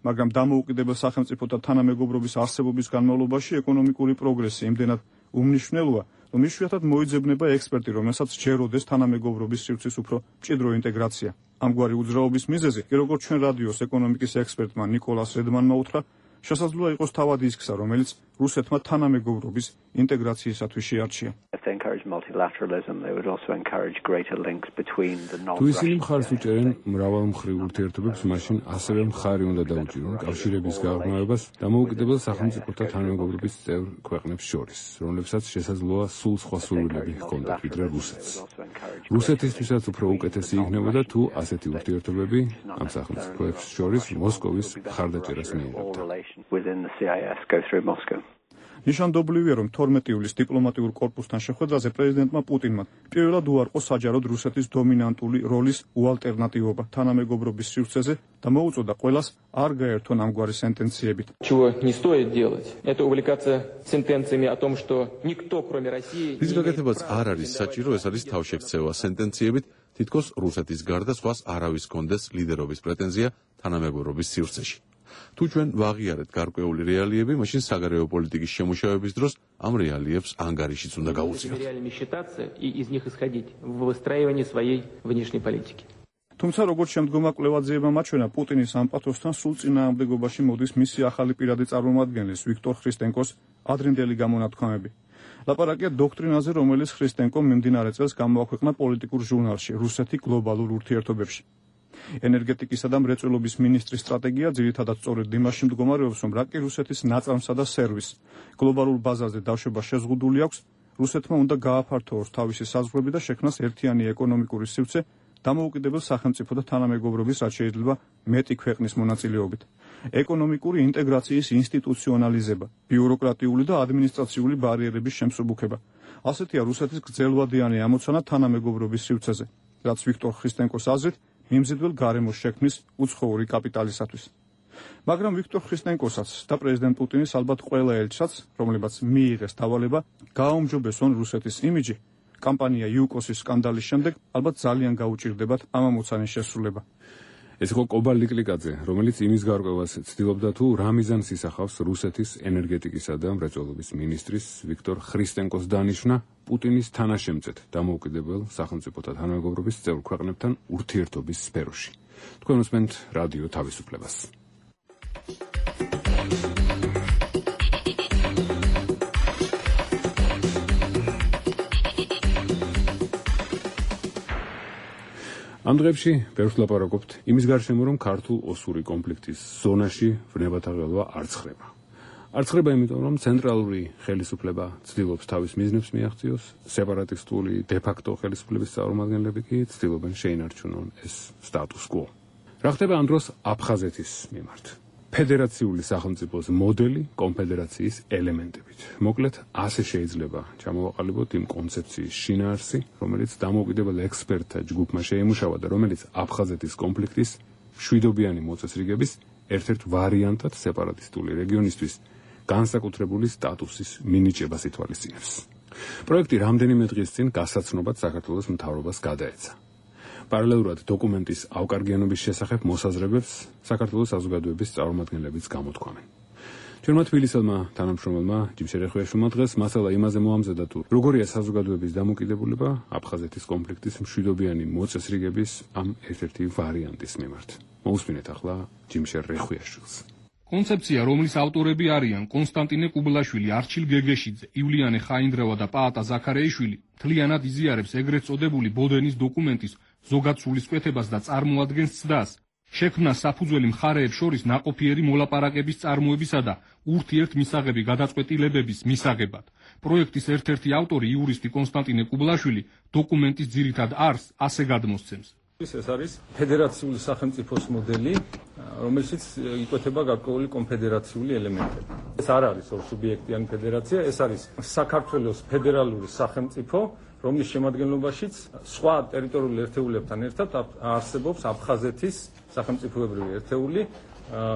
Speaker 6: მაგრამ დამოუკიდებელ სახელმწიფოთა თანამეგობრობის არსებობის განმავლობაში ეკონომიკური პროგრესი იმდენად უმნიშვნელოა, რომ იშვიათად მოიძებნება ექსპერტი, რომელსაც სჯეროდეს თანამეგობრობის სივრცის უფრო მჭიდრო ინტეგრაცია. ამგვარი უძრაობის მიზეზი, როგორც ჩვენ რადიოს ეკონომიკის ექსპერტმა ნიკოლას რედმანმა უთხრა, შესაძლოა იყოს თავად ის გზა, რომელიც რუსეთმა თანამეგობრობის ინტეგრაციისათვის შეარჩია.
Speaker 3: თუ ისინი მხარს უჭერენ მრავალმხრივ ურთიერთობებს, მაშინ ასევე მხარი უნდა დაუჭირონ კავშირების გაღრმავებას დამოუკიდებელ სახელმწიფოთა თანამეგობრობის წევრ ქვეყნებს შორის, რომლებსაც შესაძლოა სულ სხვა სურვილები ჰქონდათ ვიდრე რუსეთს. რუსეთისთვისაც უფრო უკეთესი იქნებოდა თუ ასეთი ურთიერთობები ამ სახელმწიფოებს შორის მოსკოვის მხარდაჭერას მიიღებდა.
Speaker 6: ნიშანდობლივია, რომ თორმეტი ივლისს დიპლომატიურ კორპუსთან შეხვედრაზე პრეზიდენტმა პუტინმა პირველად უარყო საჯაროდ რუსეთის დომინანტული როლის უალტერნატივობა თანამეგობრობის სივრცეზე და მოუწოდა ყველას არ გაერთონ ამგვარი სენტენციებით.
Speaker 11: Чего не стоит делать, это увлекаться сентенциями о том, что никто, кроме России...
Speaker 1: ის გაკეთებაც არ არის საჭირო, ეს არის თავშექცევა სენტენციებით, თითქოს რუსეთის გარდა სხვას არავის კონდეს ლიდერობის პრეტენზია თანამეგობრობის სივრცეში. თუ ჩვენ ვაღიარეთ გარკვეული რეალიები, მაშინ საგარეო პოლიტიკის შემუშავების დროს ამ რეალიებს ანგარიშიც უნდა გაუწიოთ.
Speaker 6: თუმცა როგორც შემდგომა კვლევაძეებმა მაჩვენა, პუტინის ამ პათოსთან სულ წინააღმდეგობაში მოდის მისი ახალი პირადი წარმომადგენლის ვიქტორ ხრისტენკოს ადრინდელი გამონათქვამები. ლაპარაკია დოქტრინაზე, რომელიც ხრისტენკომ მიმდინარე წელს გამოაქვეყნა პოლიტიკურ ჟურნალში რუსეთი გლობალურ ურთიერთობებში. ენერგეტიკისა და მრეწველობის მინისტრის სტრატეგია ძირითადად სწორედ იმაში მდგომარეობს, რომ რაკი რუსეთის ნაწარმსა და სერვისს გლობალურ ბაზარზე დაშვება შეზღუდული აქვს, რუსეთმა უნდა გააფართოოს თავისი საზღვრები და შექმნას ერთიანი ეკონომიკური სივრცე დამოუკიდებელ სახელმწიფოთა თანამეგობრობის, რაც შეიძლება მეტი ქვეყნის მონაწილეობით. ეკონომიკური ინტეგრაციის ინსტიტუციონალიზება, ბიუროკრატიული და ადმინისტრაციული ბარიერების შემსუბუქება. ასეთია რუსეთის გრძელვადიანი ამოცანა თანამეგობრობის სივრცეზე, რაც ვიქტორ ხრისტენკოს აზრით მიმზიდველ გარემოს შექმნის უცხოური კაპიტალისათვის. მაგრამ ვიქტორ ხრისტენკოსაც და პრეზიდენტ პუტინის ალბათ ყველა ელჩსაც, რომლებაც მიიღეს დავალება, გააუმჯობესონ რუსეთის იმიჯი, კამპანია იუკოსის სკანდალის შემდეგ ალბათ ძალიან გაუჭირდებათ ამ ამოცანის შესრულება.
Speaker 3: ეს იყო კობა ლიკლიკაძე, რომელიც იმის გარკვევას ცდილობდა თუ რა მიზანს ისახავს რუსეთის ენერგეტიკისა და მრეწველობის მინისტრის ვიქტორ ხრისტენკოს დანიშვნა პუტინის თანაშემწედ დამოუკიდებელ სახელმწიფოთა თანამეგობრობის წევრ ქვეყნებთან ურთიერთობის სფეროში. თქვენ უსმენთ რადიო თავისუფლებას. ამ დღეებში ბევრს ლაპარაკობთ იმის გარშემო, რომ ქართულ-ოსური კონფლიქტის ზონაში ვნებათა ყელვა არ ცხრება. არ ცხრება იმიტომ, რომ ცენტრალური ხელისუფლება ცდილობს თავის მიზნებს მიაღწიოს, სეპარატისტული დე-ფაქტო ხელისუფლების წარმომადგენლები კი ცდილობენ შეინარჩუნონ ეს სტატუს კვო. რა ხდება ამ დროს აფხაზეთის მიმართ? ფედერაციული სახელმწიფოს მოდელი კონფედერაციის ელემენტებით. მოკლედ, ასე შეიძლება ჩამოვაყალიბოთ იმ კონცეფციის შინაარსი, რომელიც დამოუკიდებელ ექსპერტთა ჯგუფმა შეიმუშავა და რომელიც აფხაზეთის კონფლიქტის მშვიდობიანი მოწესრიგების ერთ-ერთ ვარიანტად სეპარატისტული რეგიონისთვის განსაკუთრებული სტატუსის მინიჭებას ითვალისწინებს. პროექტი რამდენიმე დღის წინ გასაცნობად საქართველოს მთავრობას გადაეცა. პარალელურად დოკუმენტის ავკარგიანობის შესახებ მოსაზრებებს საქართველოს საზოგადოების წარმომადგენლებიც გამოთქვამენ. ჩვენმა თბილისელმა თანამშრომელმა ჯიმშერ ეხვიაშვილმა დღეს მასალა იმაზე მოამზადა თუ როგორია საზოგადოების დამოკიდებულება აფხაზეთის კონფლიქტის მშვიდობიანი მოწესრიგების ამ ერთ-ერთი ვარიანტის მიმართ. მოусმინეთ ახლა ჯიმშერ ეხვიაშვილს.
Speaker 8: კონცეფცია, რომლის ავტორები არიან კონსტანტინე კუბლაშვილი, არჩილ გეგეშიძე, ივლიანე ხაინდრავა და პაატა ზაქარეიშვილი, მთლიანად იზიარებს ეგრეთ წოდებული ბოდენის დოკუმენტის ზოგად სულისკვეთებას და წარმოადგენს ცდას, შექმნა საფუძველი მხარეებს შორის ნაყოფიერი მოლაპარაკების წარმოებისა და ურთიერთ მისაღები გადაწყვეტილებების მისაღებად. პროექტის ერთ-ერთი ავტორი იურისტი კონსტანტინე კუბლაშვილი დოკუმენტის ძირითად არსს ასე გადმოსცემს.
Speaker 12: ეს არის ფედერაციული სახელმწიფოს მოდელი, რომელშიც იკვეთება გარკვეული კონფედერაციული ელემენტები. ეს არ არის ორსუბიექტიანი ფედერაცია, ეს არის საქართველოს ფედერალური სახელმწიფო, რომლის შემადგენლობაშიც სხვა ტერიტორიული ერთეულებთან ერთად არსებობს აფხაზეთის სახელმწიფოებრივი ერთეული,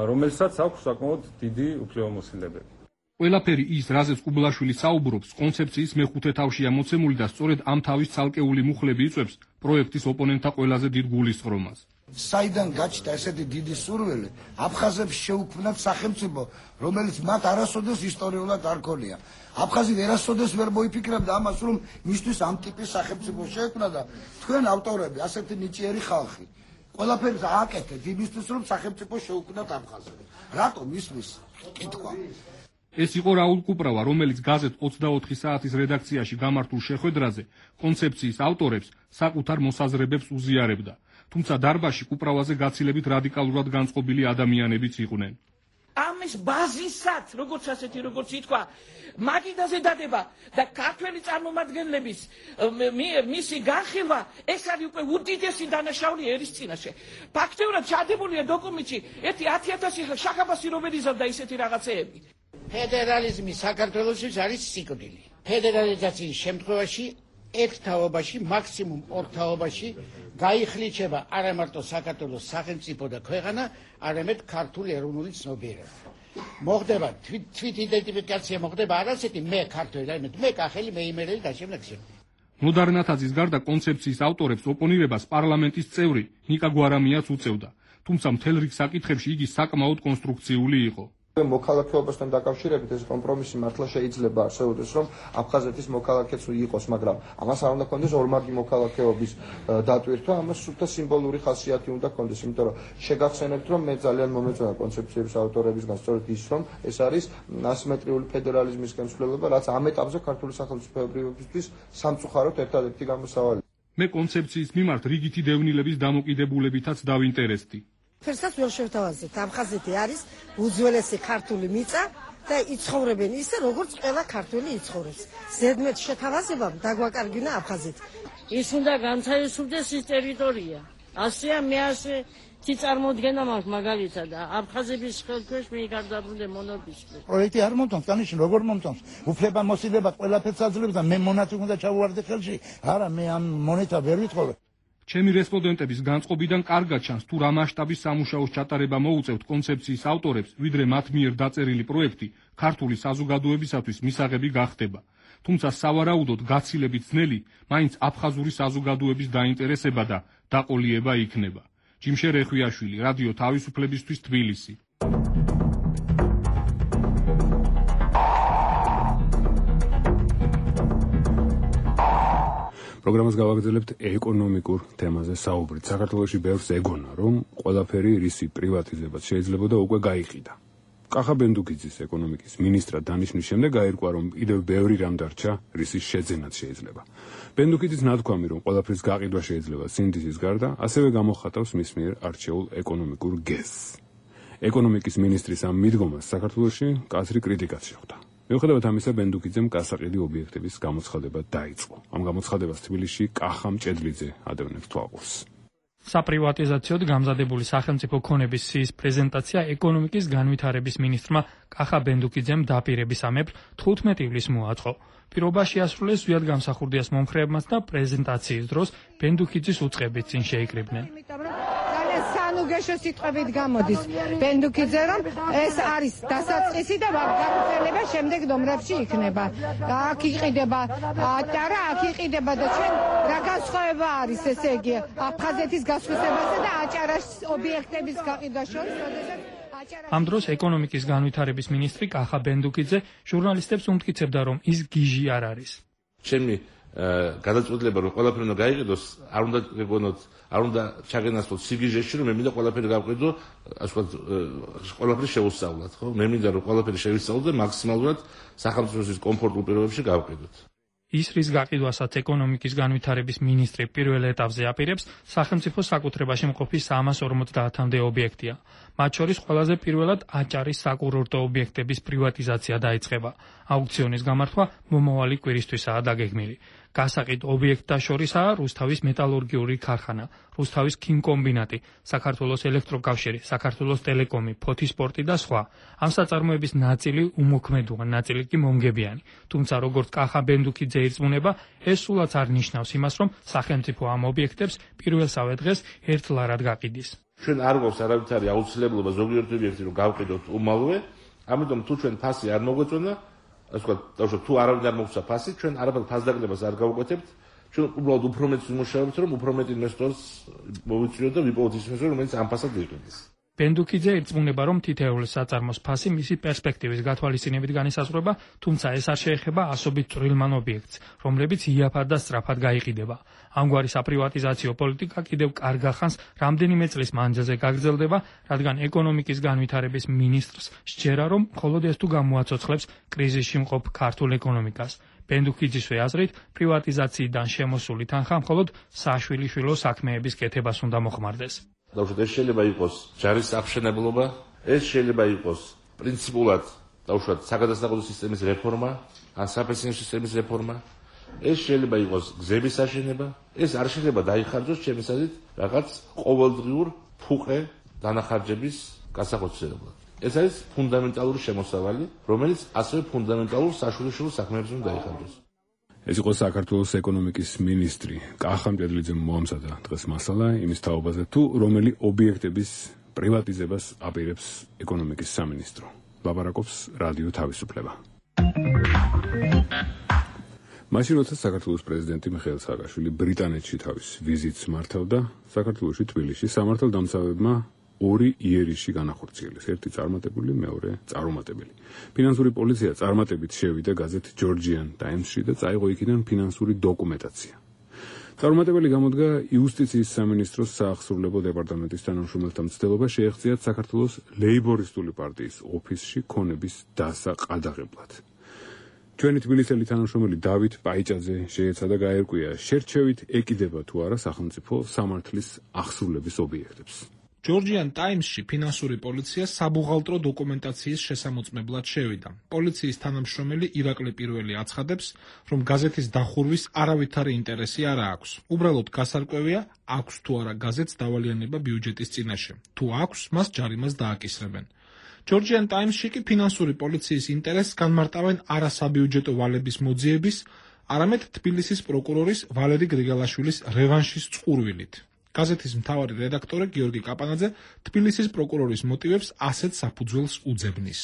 Speaker 12: რომელსაც აქვს საკმაოდ დიდი უფლებამოსილებები.
Speaker 8: ყველაფერი ის, რაზეც კუბლაშვილი საუბრობს, კონცეფციის მეხუთე თავშია მოცემული და სწორედ ამ თავის ცალკეული მუხლები იწვევს პროექტის ოპონენტთა ყველაზე დიდ გულისწყრომას.
Speaker 13: საიდან გაჩნდა ესეთი დიდი სურვილი აფხაზებს შეუქმნათ სახელმწიფო, რომელიც მათ არასოდეს ისტორიულად არ ქონია. აფხაზი არასოდეს ვერ მოიფიქრებდა ამას, რომ მისთვის ამ ტიპის სახელმწიფო შეექმნა და თქვენ ავტორები, ასეთი ნიჭიერი ხალხი, ყველაფერს ააკეთეთ იმისთვის, რომ სახელმწიფო შეუქმნათ აფხაზები. რატომ ისმის კითხვა?
Speaker 14: ეს იყო რაულ კუპრავა, რომელიც გაზეთ ოცდაოთხი საათის რედაქციაში გამართულ შეხვედრაზე კონცეფციის ავტორებს საკუთარ მოსაზრებებს უზიარებდა. თუმცა დარბაზში კუპრავაზე გაცილებით რადიკალურად განწყობილი ადამიანებიც იყვნენ.
Speaker 15: ამის ბაზისად, როგორც ასეთი, როგორც ითქვა, მაგიდაზე დადება და ქართველი წარმომადგენლების მისი განხილვა, ეს არის უკვე უდიდესი დანაშაული ერის წინაშე. ფაქტიურად ჩადებულია დოკუმენტში ერთი ათი ათასი შახაბასი რომ ეზავდა ისეთი რაღაცეები.
Speaker 16: ფედერალიზმი საქართველოში არის სიკვდილი. ფედერალიზაციის შემთხვევაში ერთ თაობაში, მაქსიმუმ ორ თაობაში გაიხლიჩება არა მარტო საქართველოს სახელმწიფო და ქვეყანა, არამედ ქართული ეროვნული ცნობიერება. მოხდება თვით იდენტიფიკაცია მოხდება არასეთი მე ქართველი, არამედ მე კახელი, მე იმერელი და შემდეგ შემდეგ.
Speaker 14: ნოდარ ნათაძის გარდა კონცეფციის ავტორებს ოპონირებას პარლამენტის წევრი ნიკა გვარამიაც უწევდა. თუმცა მთელ რიგ საკითხებში იგი საკმაოდ კონსტრუქციული იყო.
Speaker 17: მოქალაქეობასთან დაკავშირებით ეს კომპრომისი მართლა შეიძლება არსებობდეს, რომ აფხაზეთის მოქალაქეც იყოს, მაგრამ ამას არ უნდა ქონდეს ორმაგი მოქალაქეობის დატვირთვა, ამას სულთა სიმბოლური ხასიათი უნდა ქონდეს, იმიტომ რომ შეგახსენებთ, რომ მე ძალიან მომეწონა კონცეფციების ავტორებისგან სწორედ ის, რომ ეს არის ასიმეტრიული ფედერალიზმის განსხვავება, რაც ამ ეტაპზე ქართული სახელმწიფოებრიობისთვის სამწუხაროდ ერთადერთი გამოსავალი.
Speaker 14: მე კონცეფციის მიმართ რიგითი დევნილების დამოკიდებულებითაც დავინტერესდი.
Speaker 18: ფერსაც ვერ შევთავაზეთ. აფხაზეთი არის უძველესი ქართული მიწა და იცხოვრებენ ისე, როგორც ყველა ქართველი იცხოვრებს. ზედმეტ შეთავაზებამ დაგვაკარგინა აფხაზეთი.
Speaker 19: ის უნდა განთავისუფლდეს ის ტერიტორია. ასეა მე ასე თი წარმოდგენა მაქვს მაგალითად აფხაზების ხელქვეშ მე გარდაბრუნდე მონობისკენ.
Speaker 16: პროექტი არ მომწონს, კანიში როგორ მომწონს? უფლებამოსილება ყველაფერს აძლევს და მე მონაწილე უნდა ჩავუვარდე ხელში. არა, მე ამ მონეტა ვერ ვითხოვე.
Speaker 14: ჩემი რესპონდენტების განწყობიდან კარგად ჩანს თუ რა მასშტაბის სამუშაოს ჩატარება მოუწევთ კონცეფციის ავტორებს, ვიდრე მათ მიერ დაწერილი პროექტი ქართული საზოგადოებისათვის მისაღები გახდება. თუმცა სავარაუდოდ გაცილებით ძნელი მაინც აფხაზური საზოგადოების დაინტერესება და დაყოლიება იქნება. ჯიმშე რეხვიაშვილი, რადიო თავისუფლებისთვის, თბილისი.
Speaker 3: პროგრამას გავაგრძელებთ ეკონომიკურ თემაზე საუბრით. საქართველოში ბევრს ეგონა, რომ ყველაფერი რისი პრივატიზებაც შეიძლებოდა უკვე გაიყიდა. კახა ბენდუკიძის ეკონომიკის მინისტრად დანიშნვის შემდეგ გაირკვა, რომ კიდევ ბევრი რამ დარჩა, რისის შეძენაც შეიძლება. ბენდუკიძის ნათქვამი, რომ ყველაფრის გაყიდვა შეიძლება სინდისის გარდა, ასევე გამოხატავს მის მიერ არჩეულ ეკონომიკურ გეზს. ეკონომიკის მინისტრის ამ მიდგომას საქართველოში კაცრი კრიტიკაც შეხვდა. მიუხედავად ამისა, ბენდუკიძემ გასაყიდი ობიექტების გამოცხადება დაიწყო. ამ გამოცხადებას თბილისში კახა მჭედლიძე ადევნებს თვალყურს.
Speaker 20: საპრივატიზაციოდ გამზადებული სახელმწიფო ქონების სიის პრეზენტაცია ეკონომიკის განვითარების მინისტრმა კახა ბენდუკიძემ დაპირებისამებრ თხუთმეტი ივლისს მოაწყო. პირობა შეასრულეს ზვიად გამსახურდიას მომხრეებმაც და პრეზენტაციის დროს ბენდუკიძის უწყებით წინ შეიკრიბნენ.
Speaker 18: სანუგეშო სიტყვებით გამოდის ბენდუკიძე, რომ ეს არის დასაწყისი და გაგრძელება შემდეგ ნომრებში იქნება. აქ იყიდება ატარა, აქ იყიდება და ჩვენ რა განსხვავება არის, ესე იგი, აფხაზეთის გასხვისებაზე და აჭარას ობიექტების გაყიდვა შორის, როდესაც
Speaker 20: ამ დროს ეკონომიკის განვითარების მინისტრი კახა ბენდუკიძე ჟურნალისტებს უმტკიცებდა, რომ ის გიჟი არ არის.
Speaker 21: ჩემი გადაწყვეტილება რომ ყველაფერი უნდა გაიყიდოს, არ უნდა გეგონოთ, არ უნდა ჩაგენასწროთ სიგიჟეში, რომ მე მინდა ყველაფერი გავყიდო, ასე ვთქვათ, ყველაფერი შევუსწავლოთ, ხო? მე მინდა რომ ყველაფერი შევისწავლოთ და მაქსიმალურად სახელმწიფოს კომფორტულ პირობებში გავყიდოთ.
Speaker 20: ის რის გაყიდვასაც ეკონომიკის განვითარების მინისტრი პირველ ეტაპზე აპირებს, სახელმწიფო საკუთრებაში მყოფი სამას ორმოცდაათამდე ობიექტია. მათ შორის ყველაზე პირველად აჭარის საკურორტო ობიექტების პრივატიზაცია დაიწყება. აუქციონის გამართვა მომავალი კვირისთვისაა დაგეგმილი. გასაყიდ ობიექტთა შორისაა რუსთავის მეტალურგიული ქარხანა, რუსთავის ქიმკომბინატი, საქართველოს ელექტროკავშირი, საქართველოს ტელეკომი, ფოთისპორტი და სხვა. ამ საწარმოების ნაწილი უმოქმედოა, ნაწილი კი მომგებიანი. თუმცა როგორც კახა ბენდუკიძე ირწმუნება, ეს სულაც არ ნიშნავს იმას, რომ სახელმწიფო ამ ობიექტებს პირველსავე დღეს ერთლარად გაყიდის.
Speaker 21: ჩვენ არ გვაქვს არავითარი აუცილებლობა ზოგიერთი ობიექტი რომ გავყიდოთ უმალვე, ამიტომ თუ ჩვენ ფასი არ მოგვეწონა, ასე ვთქვათ, დავუშვათ, თუ არავინ არ მოგცა ფასი, ჩვენ არაფერ ფასდაგნებას არ გავუკეთებთ, ჩვენ უბრალოდ უფრო მეტს ვიმუშავებთ, რომ უფრო მეტ ინვესტორს მოვიწვიოთ და ვიპოვოთ ის ინვესტორი, რომელიც ამ ფასად იყიდეს.
Speaker 20: ბენდუქიძე ირწმუნება, რომ თითოეულ საწარმოს ფასი მისი პერსპექტივის გათვალისწინებით განისაზღვრება, თუმცა ეს არ შეეხება ასობით წვრილმან ობიექტს, რომლებიც იაფად და სწრაფად გაიყიდება. ამგვარი საპრივატიზაციო პოლიტიკა კიდევ კარგ ახანს რამდენიმე წლის მანძილზე გაგრძელდება, რადგან ეკონომიკის განვითარების მინისტრს სჯერა, რომ მხოლოდ ეს თუ გამოაცოცხლებს კრიზისში მყოფ ქართულ ეკონომიკას. ბენდუქიძისვე აზრით, პრივატიზაციიდან შემოსული თანხა მხოლოდ საშვილიშვილო საქმეების კეთებას უნდა მოხმარდეს.
Speaker 21: დავუშვათ, ეს შეიძლება იყოს ჯარის აღშენებლობა, ეს შეიძლება იყოს პრინციპულად დავუშვათ საგადასახადო სისტემის რეფორმა, ან საფინანსო სისტემის რეფორმა, ეს შეიძლება იყოს გზების აშენება, ეს არ შეიძლება დაიხარჯოს ჩემი აზრით რაღაც ყოველდღიურ ფუყე დანახარჯების გასახოცებლად. ეს არის ფუნდამენტალური შემოსავალი, რომელიც ასევე ფუნდამენტალურ საშვილიშვილო საქმეებს უნდა დაიხარჯოს.
Speaker 3: ეს იყო საქართველოს ეკონომიკის მინისტრი კახა მჭედლიძემ მოამზადა დღეს მასალა იმის თაობაზე, თუ რომელი ობიექტების პრივატიზებას აპირებს ეკონომიკის სამინისტრო. ლაპარაკობს რადიო თავისუფლება. მაშინ როცა საქართველოს პრეზიდენტი მიხეილ სააკაშვილი ბრიტანეთში თავის ვიზიტს მართავდა, საქართველოში თბილისში სამართალდამცავებმა ორი იერიში განახორციელეს, ერთი წარმატებული, მეორე წარუმატებელი. ფინანსური პოლიცია წარმატებით შევიდა გაზეთ Georgian Times-ში და წაიღო იქიდან ფინანსური დოკუმენტაცია. წარუმატებელი გამოდგა იუსტიციის სამინისტროს საახსრულებო დეპარტამენტის თანამშრომელთა მცდელობა შეეღწიათ საქართველოს ლეიბორისტული პარტიის ოფისში ქონების დასაყადაღებლად. ჩვენი თბილისელი თანამშრომელი დავით პაიჭაძე შეეცადა გაერკვია, შერჩევით ეკიდება თუ არა სახელმწიფო სამართლის ახსრულების ობიექტებს.
Speaker 8: Georgian Times-ში ფინანსური პოლიცია საბუღალტრო დოკუმენტაციის შესამოწმებლად შევიდა. პოლიციის თანამშრომელი ირაკლი პირველი აცხადებს, რომ გაზეთის დახურვის არავითარი ინტერესი არ აქვს. უბრალოდ გასარკვევია, აქვს თუ არა გაზეთს დავალიანება ბიუჯეტის წინაშე. თუ აქვს, მას ჯარიმას დააკისრებენ. Georgian Times-ში კი ფინანსური პოლიციის ინტერესს განმარტავენ არა საბიუჯეტო ვალების მოძიების, არამედ თბილისის პროკურორის ვალერი გრიგალაშვილის რევანშის წყურვილით. გაზეთის მთავარი რედაქტორი გიორგი კაპანაძე თბილისის პროკურორის მოტივებს ასეთ საფუძველს უძებნის.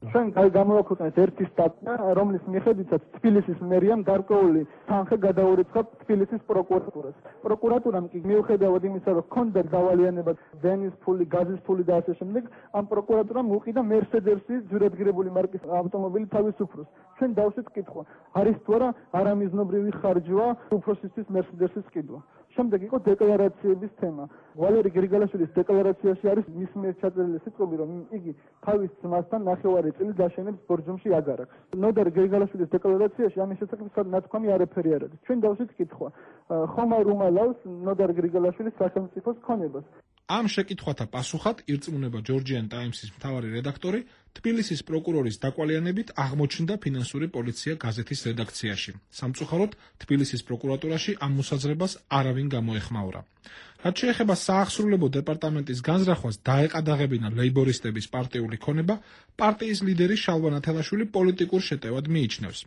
Speaker 4: ჩვენ გამოვაქვეყნეთ ერთი სტატია, რომლის მიხედვითაც თბილისის მერიამ გარკვეული თანხა გადაურიცხა თბილისის პროკურატურას. პროკურატურამ კი მიუხედავად იმისა, რომ ჰქონდა დავალიანება დენის ფული, გაზის ფული და ასე შემდეგ, ამ პროკურატურამ უყიდა მერსედესი ძვირადღირებული მარკის ავტომობილი თავისუფლოს. ჩვენ დავსვით კითხვა, არის თუ არა არამიზნობრივი ხარჯვა უფროსისთვის მერსედესის ყიდვა. შემდეგ იყო დეკლარაციების თემა. ვალერი გრიგალაშვილის დეკლარაციაში არის მის მიერ ჩაწერილი სიტყვები, რომ იგი თავის ძმასთან ნახევარი წელი დაშენებს ბორჯომში აგარაკს. ნოდარ გრიგალაშვილის დეკლარაციაში ამის შესახებ ნათქვამი არაფერი არ არის. ჩვენ დავსვით კითხვა, ხომ არ უმალავს ნოდარ გრიგალაშვილის სახელმწიფოს ქონებას.
Speaker 8: ამ შეკითხვათა პასუხად ირწმუნება Georgian Times-ის მთავარი რედაქტორი, თბილისის პროკურორის დაკვალიანებით აღმოჩნდა ფინანსური პოლიცია გაზეთის რედაქციაში. სამწუხაროდ, თბილისის პროკურატურაში ამ მოსაზრებას არავინ გამოეხმაურა. რაც შეეხება საახსრულებო დეპარტამენტის განზრახვას დაეყადაღებინა ლეიბორისტების პარტიული ქონება, პარტიის ლიდერი შალვა ნათელაშვილი პოლიტიკურ შეტევად მიიჩნევს.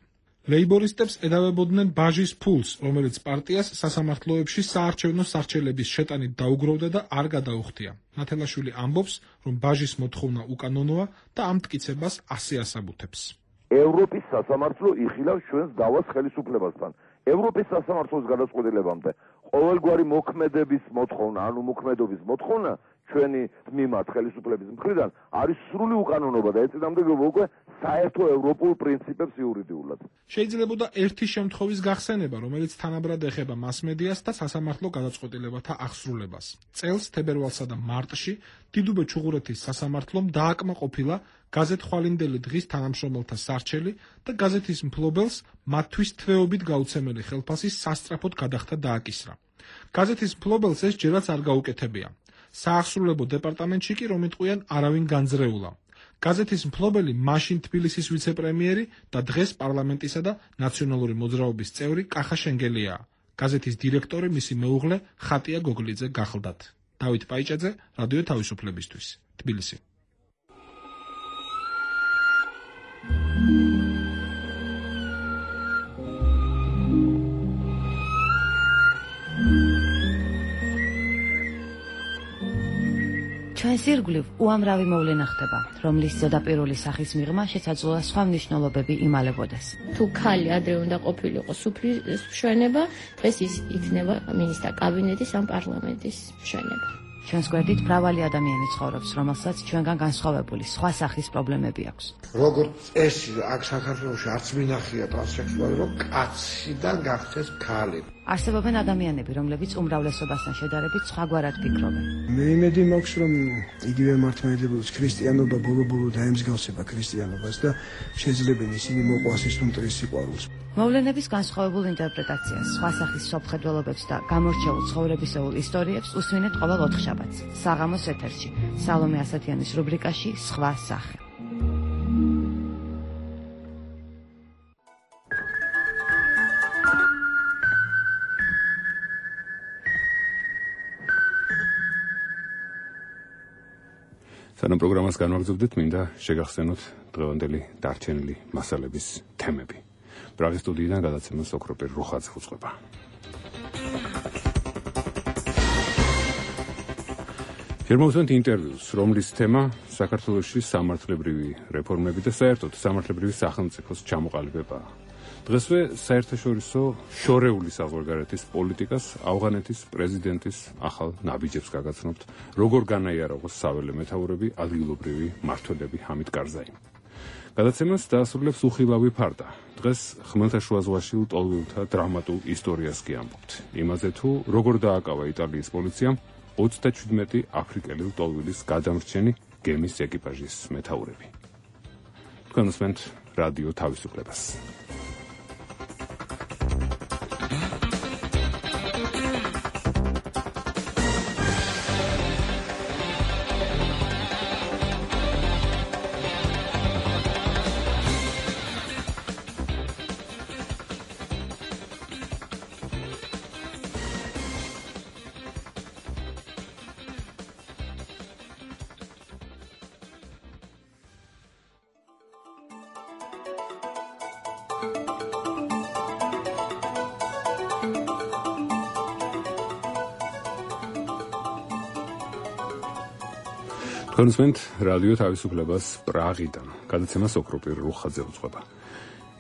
Speaker 8: ლეიბორისტებს ედავებოდნენ ბაჟის ფულს, რომელიც პარტიას სასამართლოებში საარჩევნო სარჩელების შეტანით დაუგროვდა და არ გადაუხდია. ნათელაშვილი ამბობს, რომ ბაჟის მოთხოვნა უკანონოა და ამ მტკიცებას ასე ასაბუთებს.
Speaker 10: ევროპის სასამართლო იხილავს ჩვენს დავას ხელისუფლებასთან. ევროპის სასამართლოს გადაწყვეტილებამდე ყოველგვარი მოქმედების მოთხოვნა, ანუ მოქმედობის მოთხოვნა ჩვენი მიმართ ხელისუფლების მხრიდან არის სრული უკანონობა და ეწინააღმდეგება უკვე საერთო ევროპულ პრინციპებს იურიდიულად.
Speaker 8: შეიძლებოდა ერთი შემთხვევის გახსენება, რომელიც თანაბრად ეხება მასმედიას და სასამართლო გადაწყვეტილებათა აღსრულებას. წელს თებერვალსა და მარტში დიდუბე ჩუღურეთის სასამართლომ დააკმაყოფილა გაზეთ ხვალინდელი დღის თანამშრომელთა სარჩელი და გაზეთის მფლობელს მათთვის თვეობით გაუცემელი ხელფასი სასწრაფოდ გადახდა დააკისრა. გაზეთის მფლობელს ეს ჯერაც არ გაუკეთებია. საახსრულებო დეპარტამენტში კი რომ იტყვიან არავინ განძრეულა. გაზეთის მფლობელი მაშინ თბილისის ვიცე-პრემიერი და დღეს პარლამენტისა და ნაციონალური მოძრაობის წევრი კახა შენგელიაა. გაზეთის დირექტორი მისი მეუღლე ხატია გოგლიძე გახლდათ. დავით პაიჭაძე, რადიო თავისუფლებისთვის, თბილისი.
Speaker 5: ჩვენს ირგვლივ უამრავი მოვლენა ხდება, რომლის ზედაპირული სახის მიღმა შესაძლოა სხვა მნიშვნელობები იმალებოდეს.
Speaker 22: თუ ქალი ადრე უნდა ყოფილიყო სუფრის მშვენება, დღეს ის იქნება მინისტრთა კაბინეტის ან პარლამენტის მშვენება.
Speaker 5: ჩვენს გვერდით მრავალი ადამიანი ცხოვრობს, რომელსაც ჩვენგან განსხვავებული სხვა სახის პრობლემები აქვს.
Speaker 13: როგორც წესი, აქ საქართველოში არც მინახია ტრანსექსუალი, რომ კაციდან გახდეს ქალი.
Speaker 5: არსებობენ ადამიანები, რომლებიც უმრავლესობასთან შედარებით სხვაგვარად ფიქრობენ.
Speaker 2: მე იმედი მაქვს, რომ იგივე მართლმადიდებლობის ქრისტიანობა ბოლო-ბოლო დაემსგავსება ქრისტიანობას და შეძლებენ ისინი მოყვას ის მტრის სიყვარულს.
Speaker 5: მოვლენების განსხვავებულ ინტერპრეტაციას, სხვა სახის სოფხედველობებს და გამორჩეულ ცხოვრებისეულ ისტორიებს უსმინეთ ყოველ ოთხშაბათს, საღამოს ეთერში, სალომე ასათიანის რუბრიკაში სხვა სახე.
Speaker 3: სანამ პროგრამას განვაგრძობდით, მინდა შეგახსენოთ დღევანდელი დარჩენილი მასალების თემები. პრაღის სტუდიიდან გადაცემას ოქროპირ რუხაძე უძღვება. შემოვსვენთ ინტერვიუს, რომლის თემა საქართველოში სამართლებრივი რეფორმები და საერთოდ სამართლებრივი სახელმწიფოს ჩამოყალიბებაა. დღესვე საერთაშორისო შორეული საზღვარგარეთის პოლიტიკას ავღანეთის პრეზიდენტის ახალ ნაბიჯებს გაგაცნობთ, როგორ განაიარაღოს საველე მეთაურები, ადგილობრივი მმართველები ჰამიდ კარზაი. გადაცემას დაასრულებს უხილავი ფარდა. დღეს ხმელთაშუა ზღვაში ლტოლვილთა დრამატულ ისტორიას კი ამბობთ. იმაზე თუ როგორ დააკავა იტალიის პოლიციამ ოცდაჩვიდმეტი აფრიკელი ლტოლვილის გადამრჩენი გემის ეკიპაჟის მეთაურები. თქვენ უსმენთ რადიო თავისუფლებას. თქვენ უსმენთ რადიო თავისუფლებას პრაღიდან. გადაცემას ოქროპირ რუხაძე უძღვება.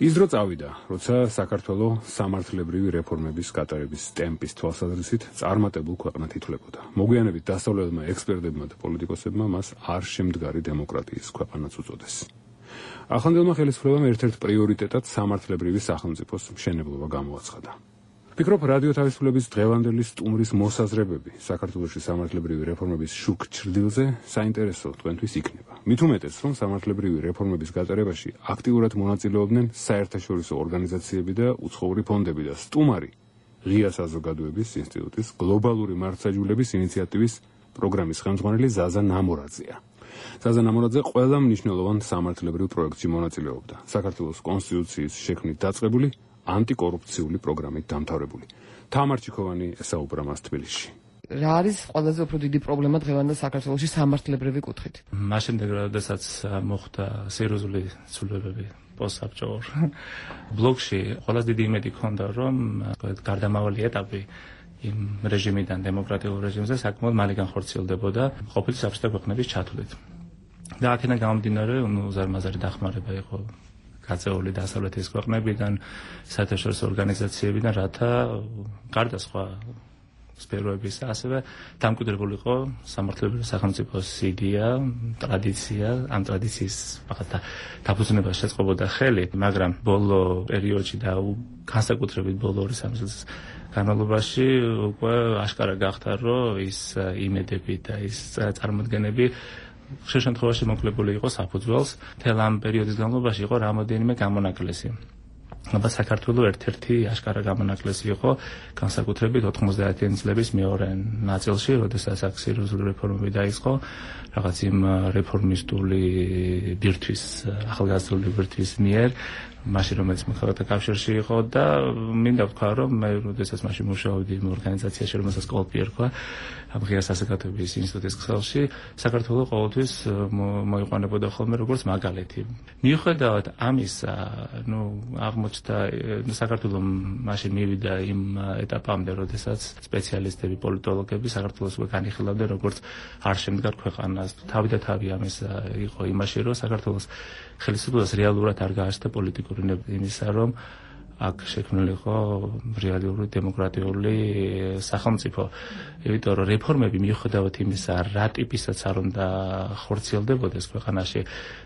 Speaker 3: ის დრო წავიდა, როცა საქართველოს სამართლებრივი რეფორმების გატარების ტემპის თვალსაზრისით წარმატებულ ქვეყნად ითვლებოდა. მოგვიანებით დასავლელმა ექსპერტებმა და პოლიტიკოსებმა მას არ შემდგარი დემოკრატიის ქვეყანაც უწოდეს. ახლანდელმა ხელისუფლებამ ერთ-ერთ პრიორიტეტად სამართლებრივი სახელმწიფოს მშენებლობა გამოაცხადა. ფიქრობ, რადიო თავისუფლების დღევანდელი სტუმრის მოსაზრებები საქართველოში სამართლებრივი რეფორმების შუქ ჩრდილზე საინტერესო თქვენთვის იქნება. მით უმეტეს, რომ სამართლებრივი რეფორმების გატარებაში აქტიურად მონაწილეობდნენ საერთაშორისო ორგანიზაციები და უცხოური ფონდები და სტუმარი ღია საზოგადოების ინსტიტუტის გლობალური მართლმსაჯულების ინიციატივის პროგრამის ხელმძღვანელი ზაზა ნამორაძეა. ზაზა ნამორაძე ყველა მნიშვნელოვან სამართლებრივ პროექტში მონაწილეობდა. საქართველოს კონსტიტუციის შექმნით დაწყებული ანტიკორუფციული პროგრამით დამთავრებული. თამარ ჩიქოვანი ესაუბრა მას თბილისში.
Speaker 7: რა არის ყველაზე უფრო დიდი პრობლემა დღევანდელ საქართველოში სამართლებრივი კუთხით?
Speaker 23: მას შემდეგ, როდესაც მოხდა სერიოზული ცვლილებები პოსტსაბჭოურ ბლოკში, ყველაზე დიდი იმედი ჰქონდა, რომ გარდამავალი ეტაპი იმ რეჟიმიდან დემოკრატიულ რეჟიმზე საკმაოდ მალე განხორციელდებოდა ყოფილი საბჭოთა ქვეყნების ჩათვლით. და აქედან გამომდინარე, ნუ ზარმაზარი დახმარება იყო გაწეული დასავლეთის ქვეყნებიდან, საერთაშორისო ორგანიზაციებიდან, რათა გარდა სხვა სფეროების ასევე დამკვიდრებული იყო სამართლებრივი სახელმწიფოს იდეა, ტრადიცია, ამ ტრადიციის ფაქტ დაფუძნებას შეწყობოდა ხელი, მაგრამ ბოლო პერიოდში და განსაკუთრებით ბოლო ორი სამი წლის განმავლობაში უკვე აშკარა გახდა, რომ ის იმედები და ის წარმოდგენები ხშირ შემთხვევაში მოკლებული იყო საფუძველს. მთელ ამ პერიოდის განმავლობაში იყო რამოდენიმე გამონაკლისი. აბა საქართველოს ერთ-ერთი აშკარა გამონაკლისი იყო განსაკუთრებით ოთხმოცდაათიანი წლების მეორე ნაწილში, როდესაც აქ სერიოზული რეფორმები დაიწყო, რაღაც იმ რეფორმისტული ბირთვის, ახალგაზრდული ბირთვის მიერ, მაშინ რომელიც მოქალაქეთა კავშირში იყო და მინდა ვთქვა, რომ მე როდესაც მაშინ მუშაობდი იმ ორგანიზაციაში, რომელსაც კოლპი ერქვა, ამ ღია საზოგადოების ინსტიტუტის ქსელში, საქართველოს ყოველთვის მოიყვანებოდა ხოლმე როგორც მაგალითი. მიუხედავად ამისა, ნუ აღმოჩნდა საქართველოს მაშინ მივიდა იმ ეტაპამდე, როდესაც სპეციალისტები, პოლიტოლოგები საქართველოს უკვე განიხილავდნენ როგორც არ შემდგარ ქვეყანას. თავი და თავი ამის იყო იმაში, რომ საქართველოს ხელისუფლებას რეალურად არ გააჩნდა პოლიტიკური იმისა, რომ აქ შექმნილი იყო რეალიური დემოკრატიული სახელმწიფო. იმიტომ რომ რეფორმები მიუხედავად იმისა, რა ტიპისაც არ უნდა ხორციელდებოდეს ქვეყანაში,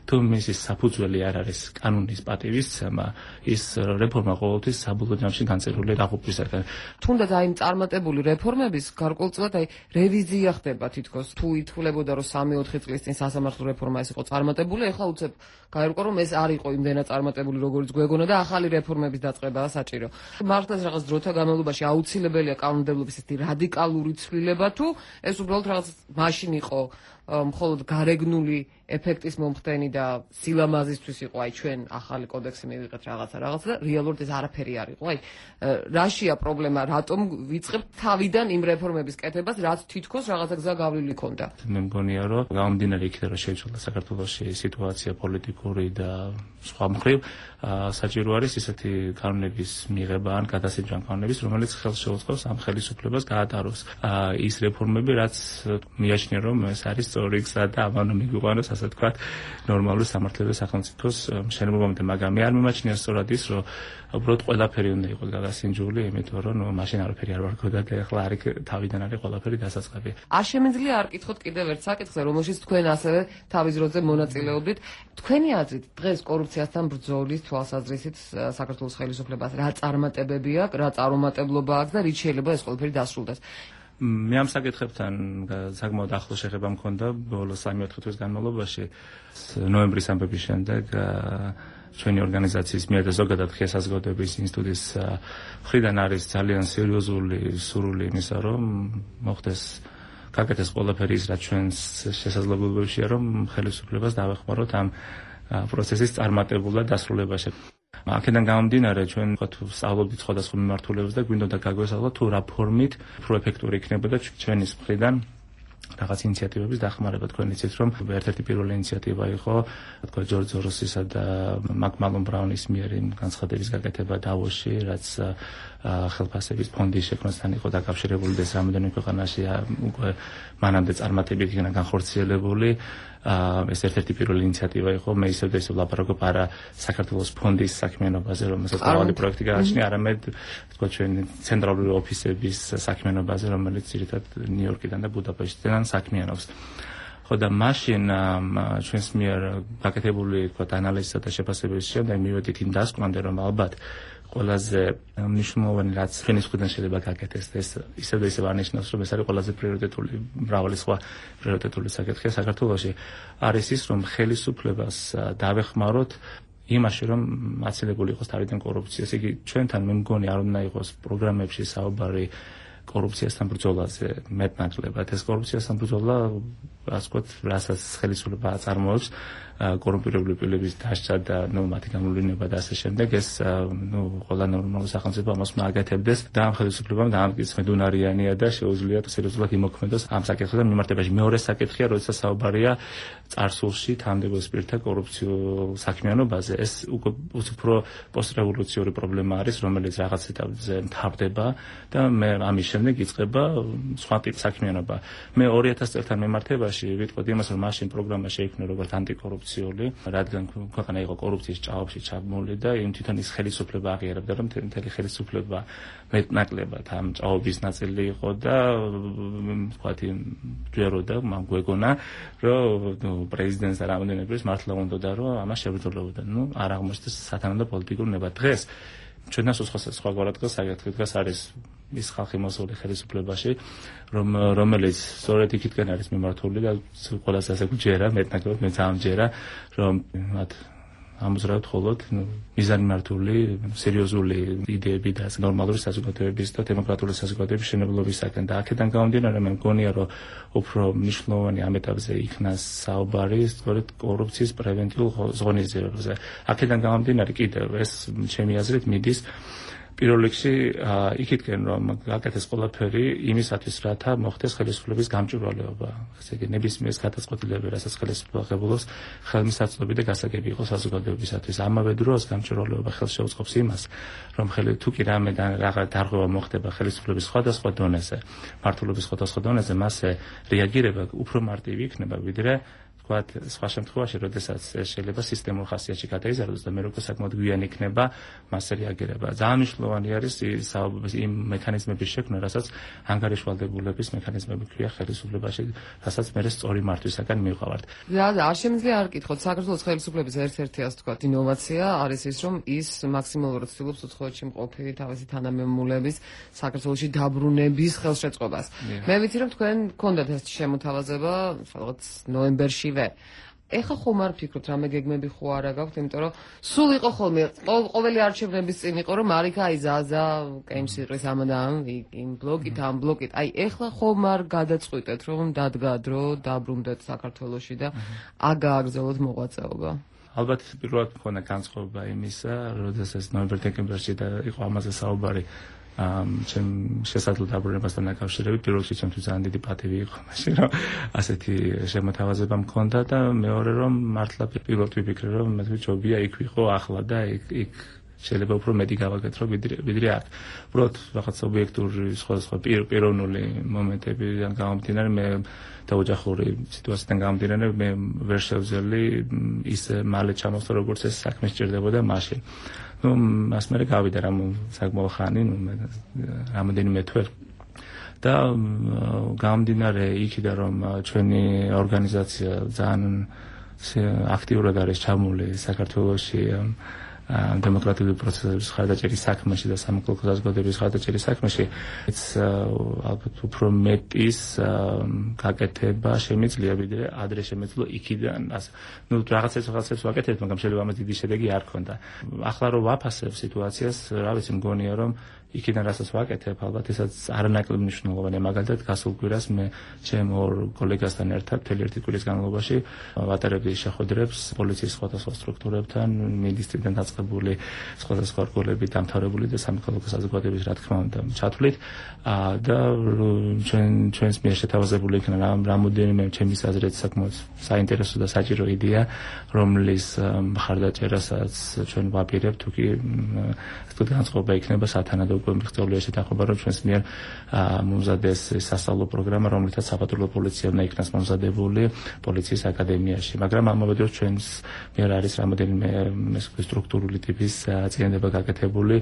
Speaker 23: თუ მისი საფუძველი არ არის კანონის პატივისცემა, ის რეფორმა ყოველთვის საბოლოო ჯამში განწერული დაღუპვისაგან.
Speaker 7: თუნდაც აი წარმატებული რეფორმების გარკვეულწილად აი რევიზია ხდება თითქოს. თუ ითვლებოდა რომ სამი-ოთხი წლის წინ სასამართლო რეფორმა ეს იყო წარმატებული, ეხლა უცებ გაერკვა რომ ეს არ იყო იმდენად წარმატებული როგორც გვეგონა და ახალი რეფორმების დაწყებაა საჭირო. მართლაც რაღაც დროთა განმავლობაში აუცილებელია კანონმდებლობის ესეთი რადიკალური ცვლილება თუ ეს უბრალოდ რაღაც მაშინ იყო მხოლოდ გარეგნული ეფექტის მომხდენი და სილამაზისთვის იყო აი ჩვენ ახალი კოდექსი მივიღეთ რაღაცა რაღაცა და რეალურად ეს არაფერი არ იყო. აი რაშია პრობლემა, რატომ ვიწყებთ თავიდან იმ რეფორმების კეთებას, რაც თითქოს რაღაცა გზა გავლილი ქონდა.
Speaker 23: მე მგონია რომ გამომდინარე იქიდან რომ შეიცვალა საქართველოში სიტუაცია პოლიტიკური და სხვა მხრივ საჭირო არის ისეთი კანონების მიღება ან გადასაჭრა კანონების, რომელიც ხელს შეუწყობს ამ ხელისუფლებას გაატაროს ის რეფორმები, რაც მიაჩნია რომ ეს არის სწორი გზა და ამან მიგვიყვანოს ასე თქვა ნორმალური სამართლებრივი სახელმწიფოს მშენებლობამდე, მაგრამ მე არ მიმაჩნია სწორად ის, რომ უბრალოდ ყველაფერი უნდა იყოს გადასინჯული, იმიტომ რომ ნუ მაშინ არაფერი არ ვარქოდა და ახლა არის თავიდან არის ყველაფერი დასაწყები.
Speaker 7: არ შემიძლია არ კითხოთ კიდევ ერთ საკითხზე, რომელშიც თქვენ ასევე თავის დროზე მონაწილეობდით. თქვენი აზრით დღეს კორუფციასთან ბრძოლის თვალსაზრისით საქართველოს ხელისუფლებას რა წარმატებები აქვს, რა წარუმატებლობა აქვს და რით შეიძლება ეს ყველაფერი დასრულდეს?
Speaker 23: მე ამ საკითხებთან საკმაოდ ახლო შეხება მქონდა ბოლო სამი-ოთხი თვის განმავლობაში. ნოემბრის ამბების შემდეგ ჩვენი ორგანიზაციის მიერ და ზოგადად ღია საზოგადოების ინსტიტუტის მხრიდან არის ძალიან სერიოზული სურვილი იმისა, რომ მოხდეს გაკეთდეს ყველაფერი ის, რაც ჩვენს შესაძლებლობებშია, რომ ხელისუფლებას დავეხმაროთ ამ პროცესის წარმატებულად დასრულებაში. აქედან გამომდინარე ჩვენ თუ სწავლობდით სხვადასხვა მიმართულებას და გვინდოდა გაგვესწავლოთ თუ რა ფორმით უფრო ეფექტური იქნებოდა ჩვენის მხრიდან რაღაც ინიციატივების დახმარება. თქვენ იცით რომ ერთ-ერთი პირველი ინიციატივა იყო თქვა ჯორჯ ზოროსისა და მაკმალონ ბრაუნის მიერ განცხადების გაკეთება დავოსში, რაც ხელფასების ფონდის შექმნასთან იყო დაკავშირებული და რამდენიმე ქვეყანაში უკვე მანამდე წარმატებით იქნა განხორციელებული. ეს ერთ-ერთი პირველი ინიციატივა იყო. მე ისევ და ისევ ვლაპარაკობ არა საქართველოს ფონდის საქმიანობაზე, რომელსაც მრავალი პროექტი გააჩნია, არამედ თქვა ჩვენი ცენტრალური ოფისების საქმიანობაზე, რომელიც ძირითადად ნიუ-იორკიდან და ბუდაპეშტიდან საქმიანობს. ხო და მაშინ ჩვენს მიერ გაკეთებული თქვა ანალიზისა და შეფასების შემდეგ მივედით იმ დასკვნამდე, რომ ალბათ ყველაზე მნიშვნელოვანი რაც ჩვენი მხრიდან შეიძლება გაკეთდეს ეს ისევ და ისევ არნიშნავს რომ ეს არის ყველაზე პრიორიტეტული მრავალი სხვა პრიორიტეტული საკითხია საქართველოში არის ის რომ ხელისუფლებას დავეხმაროთ იმაში რომ აცილებული იყოს თავიდან კორუფციას. იგი ჩვენთან მე მგონი არ უნდა იყოს პროგრამებში საუბარი კორუფციასთან ბრძოლაზე მეტნაკლებად. ეს კორუფციასთან ბრძოლა ასე ვთქვათ რასაც ხელისუფლება აწარმოებს კორუმპირებული პირების დასჯა და ნუ მათი გამოვლენა და ასე შემდეგ ეს ნუ ყველა ნორმალური სახელმწიფო ამას მაგეთებდეს და ამ ხელისუფლებამ დაამტკიცეს მედუნარიანია და შეუძლია სერიოზულად იმოქმედოს ამ საკითხთან მიმართებაში. მეორე საკითხია, როდესაც საუბარია წარსულში თანამდებობის პირთა კორუფციულ საქმიანობაზე. ეს უფრო პოსტრევოლუციური პრობლემა არის, რომელიც რაღაც ეტაპზე მთავრდება და მე ამის შემდეგ იწყება სხვა ტიპის საქმიანობა. მე ორი ათასი წელთან მიმართებაში ვიტყოდი იმას, რომ მაშინ პროგრამა შეიქმნა როგორც ანტიკორუფციული, რადგან ქვეყანა იყო კორუფციის ჭაობში ჩაბმული და იმ თვითონ ის ხელისუფლება აღიარებდა, რომ მთელი ხელისუფლება მეტნაკლებად ამ ჭაობის ნაწილი იყო და ვთქვათ ჯეროდა მან გვეგონა, რომ პრეზიდენტს და რამდენიმე ის მართლა უნდოდა, რომ ამას შებრძოლებოდა. ნუ არ აღმოჩნდეს სათანადო პოლიტიკური ნება. დღეს ჩვენთან სხვა სხვაგვარად დღეს საკითხი დღეს არის ის ხალხი მოსული ხელისუფლებაში, რომ რომელიც სწორედ იქითკენ არის მიმართული და ყველას ასე გვჯერა, მეტნაკლებად მეც ამჯერა, რომ მათ ამზრავთ ხოლოდ მიზანმიმართული, სერიოზული იდეები და ნორმალური საზოგადოების და დემოკრატიული საზოგადოების მშენებლობისაგან და აქედან გამომდინარე მე მგონია, რომ უფრო მნიშვნელოვანი ამ ეტაპზე იქნას საუბარი სწორედ კორუფციის პრევენტიულ ღონისძიებებზე. აქედან გამომდინარე კიდევ ეს ჩემი აზრით მიდის პირველ რიგში იქითკენ რომ გაკეთეს ყველაფერი იმისათვის, რათა მოხდეს ხელისუფლების გამჭვირვალეობა. ესე იგი ნებისმიერ გადაწყვეტილებები, რასაც ხელისუფლება ღებულობს, ხელმისაწვდომი და გასაგები იყოს საზოგადოებისათვის. ამავე დროს გამჭვირვალეობა ხელს შეუწყობს იმას, რომ ხელი თუ კი რამე და რაღაც დარღვევა მოხდება ხელისუფლების სხვადასხვა დონეზე, მართლობის სხვადასხვა დონეზე, მასზე რეაგირება უფრო მარტივი იქნება, ვიდრე თქვა სხვა შემთხვევაში, როდესაც შეიძლება სისტემურ ხასიათში გადაიზარდოს და მე როგორ საკმაოდ გვიან იქნება მასზე რეაგირება. ძალიან მნიშვნელოვანი არის იმ მექანიზმების შექმნა, რასაც ანგარიშვალდებულების მექანიზმები ქვია ხელისუფლებაში, რასაც მე სწორი მართვისაგან მივყავართ.
Speaker 7: და არ შემიძლია არ კითხოთ, საქართველოს ხელისუფლების ერთ-ერთი ასე ვთქვათ ინოვაცია არის ის, რომ ის მაქსიმალურად ცდილობს უცხოეთში მყოფი თავისი თანამემამულეების საქართველოში დაბრუნების ხელშეწყობას. მე ვიცი, რომ თქვენ გქონდათ ეს შემოთავაზება, რაღაც ნოემბერშივე. ეხლა ხომ არ ფიქრობთ, რამე გეგმები ხო არა გაქვთ, იმიტომ რომ სულ იყო ხოლმე ყოველი არჩევნების წინ იყო, რომ არიქა აი ზაზა კეიმს იყრის ამან იმ ბლოკით, ამ ბლოკით. აი ეხლა ხომ არ გადაწყვიტეთ, რომ დადგა დრო, დაბრუნდეთ საქართველოში და აგააგრძელოთ მოღვაწეობა.
Speaker 23: ალბათ პირველად მქონდა განწყობა იმისა, როდესაც ნოემბერ-დეკემბერში და იყო ამაზე საუბარი ჩემ შესაძლო დაბრუნებასთან დაკავშირებით, პირველ რიგში ჩემთვის ძალიან დიდი პატივი იყო მაშინ, რომ ასეთი შემოთავაზება მქონდა და მეორე რომ მართლა პირველად ვიფიქრე, რომ მე ჯობია იქ ვიყო ახლა და იქ იქ შეიძლება უფრო მეტი გავაკეთრო ვიდრე აქ. უბრალოდ რაღაც ობიექტური სხვადასხვა პიროვნული მომენტებიდან გამომდინარე მე და ოჯახური სიტუაციიდან გამომდინარე მე ვერ შევძელი ისე მალე ჩამოსვლა, როგორც ეს საქმე სჭირდებოდა მაშინ. ну მას მე გავიდა რამ საკმაო ხანი, ну რამოდენიმე თვე და გამომდინარე იქიდან რომ ჩვენი ორგანიზაცია ძალიან აქტიურად არის ჩამული საქართველოში დემოკრატიული პროცესების ხარდაჭერის საქმეში და სამოქალაქო საზოგადოების ხარდაჭერის საქმეში, ეს ალბათ უფრო მეტის გაკეთება შემიძლია, ვიდრე ადრე შემეძლო იქიდან. ну რაღაცებს რაღაცებს ვაკეთებთ, მაგრამ შეიძლება ამას დიდი შედეგი არ ქონდა. ახლა რომ ვაფასებ სიტუაციას, რა ვიცი, მგონია რომ იქიდან რასაც ვაკეთებ, ალბათ ესაც არანაკლებ მნიშვნელოვანია. მაგალითად, გასულ კვირას მე ჩემ ორ კოლეგასთან ერთად მთელი ერთი კვირის განმავლობაში ვატარებდი შეხვედრებს პოლიციის სხვადასხვა სტრუქტურებთან, მინისტრიდან დაწყებული სხვადასხვა რგოლები, დამთავრებული და სამოქალაქო საზოგადოების რა თქმა უნდა ჩათვლით და ჩვენ ჩვენს მიერ შეთავაზებული იქნა რამოდენიმე ჩემის აზრით საკმაოდ საინტერესო და საჭირო იდეა, რომლის მხარდაჭერასაც ჩვენ ვაპირებთ, თუ კი სწორედ განწყობა იქნება სათანადო მიღწეულია შეთანხმება, რომ ჩვენს მიერ მომზადეს სასწავლო პროგრამა, რომლითაც საპატრულო პოლიცია უნდა იქნას მომზადებული პოლიციის აკადემიაში. მაგრამ ამავე დროს ჩვენს მიერ არის რამოდენიმე სტრუქტურული ტიპის წინააღმდება გაკეთებული,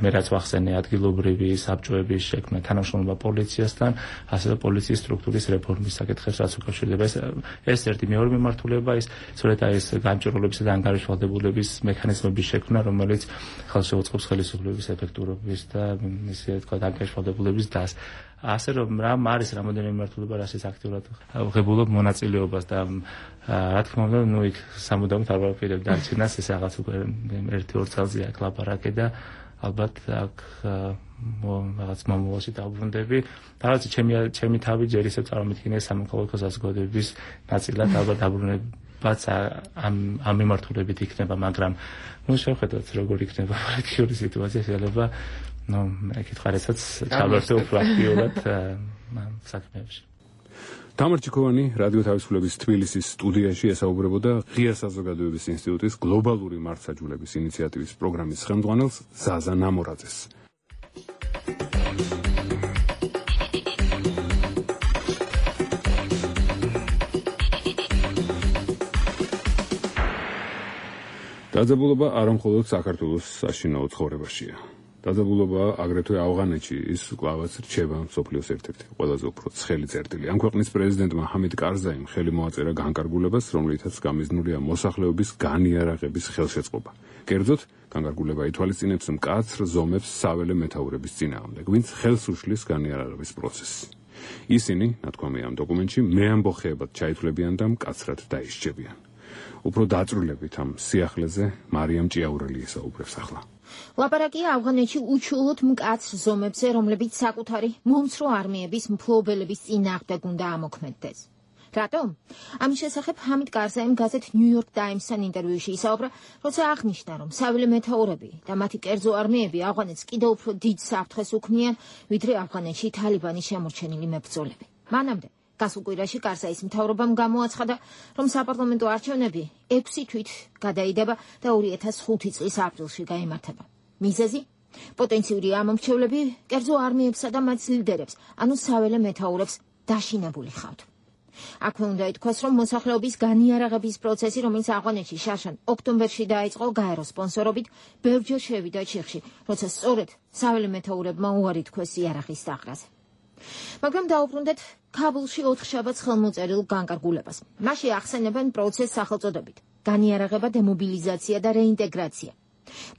Speaker 23: მე რაც ვახსენე, ადგილობრივი საბჭოების შექმნა, თანამშრომლობა პოლიციასთან, ასევე პოლიციის სტრუქტურის რეფორმის საკითხებს, რაც უკავშირდება. ეს ერთი მეორე მიმართულება ის სწორედ ეს გამჭირვალობისა და ანგარიშვალდებულების მექანიზმების შექმნა, რომელიც ხელს შეუწყობს ხელისუფლების ეფექტურობის და ისე თქვა ანგარიშვალდებულების დას. ასე რომ რამ არის რამოდენიმე მიმართულება, რასაც აქტიურად ვღებულობ მონაწილეობას და რა თქმა უნდა, ნუ იქ სამუდამოდ არ ვაპირებ დარჩენას, ეს რაღაც უკვე ერთი ორ წელზე აქ ლაპარაკე და ალბათ აქ რაღაც მომავალში დავბრუნდები. თავისი ჩემი ჩემი თავი ჯერ ისევ წარმოვიდგინე სამოქალაქო საზოგადოების ნაწილად ალბათ დაბრუნებაც ამ ამ მიმართულებით იქნება, მაგრამ ნუ შევხედოთ როგორ იქნება პოლიტიკური სიტუაცია, შეიძლება ну, ეკითხარესაც ჩავერთო უფრო აქტიურად საქმეებში.
Speaker 3: თამარ ჩიქოვანი რადიო თავისუფლების თბილისის სტუდიაში ესაუბრებოდა ღია საზოგადოების ინსტიტუტის გლობალური მართლმსაჯულების ინიციატივის პროგრამის ხელმძღვანელს ზაზა ნამორაძეს. დაძაბულობა არამხოლოდ საქართველოს საშინაო ცხოვრებაშია. დაძაბულობა აგრეთვე ავღანეთში ის კლავაც რჩება მსოფლიოს ერთ-ერთი ყველაზე უფრო ცხელი წერტილი. ამ ქვეყნის პრეზიდენტმა ჰამიდ კარზაიმ ხელი მოაწერა განკარგულებას, რომლითაც გამიზნულია მოსახლეობის განიარაღების ხელშეწყობა. კერძოდ, განკარგულება ითვალისწინებს მკაცრ ზომებს საველე მეთაურების წინააღმდეგ, ვინც ხელს უშლის განიარაღების პროცესს. ისინი, ნათქვამია ამ დოკუმენტში, მეამბოხეებად ჩაითვლებიან და მკაცრად დაისჯებიან. უფრო დაწვრილებით ამ სიახლეზე მარიამ ჭიაურელი ესაუბრებს ახლა.
Speaker 1: ლაპარაკია ავღანეთში უჩვეულოდ მკაცრ ზომებზე, რომლებიც საკუთარი მომცრო არმიების მფლობელების წინააღმდეგ უნდა ამოქმედდეს. რატომ? ამის შესახებ ჰამიდ კარზაიმ გაზეთ New York Times-თან ინტერვიუში ისაუბრა, როცა აღნიშნა, რომ საველე მეთაურები და მათი კერძო არმიები ავღანეთს კიდევ უფრო დიდ საფრთხეს უქმნიან, ვიდრე ავღანეთში თალიბანის შემორჩენილი მებრძოლები. მანამდე გასულ კვირაში კარზაის მთავრობამ გამოაცხადა, რომ საპარლამენტო არჩევნები ექვსი თვით გადაიდება და ორი ათას ხუთი წლის აპრილში გაიმართება. მიზეზი? პოტენციური ამომრჩევლები კერძო არმიებსა და მათ ლიდერებს, ანუ საველე მეთაურებს დაშინებული ხავთ. აქვე უნდა ითქვას, რომ მოსახლეობის განიარაღების პროცესი, რომელიც ავღანეთში შარშან ოქტომბერში დაიწყო გაერო სპონსორობით, ბევრჯერ შევიდა ჩიხში, როცა სწორედ საველე მეთაურებმა უარი თქვეს იარაღის დაღრაზე. მაგრამ დაუბრუნდეთ ქაბულში ოთხშაბათს ხელმოწერილ განკარგულებას. მასში ახსენებენ პროცესს სახელწოდებით განიარაღება, დემობილიზაცია და რეინტეგრაცია.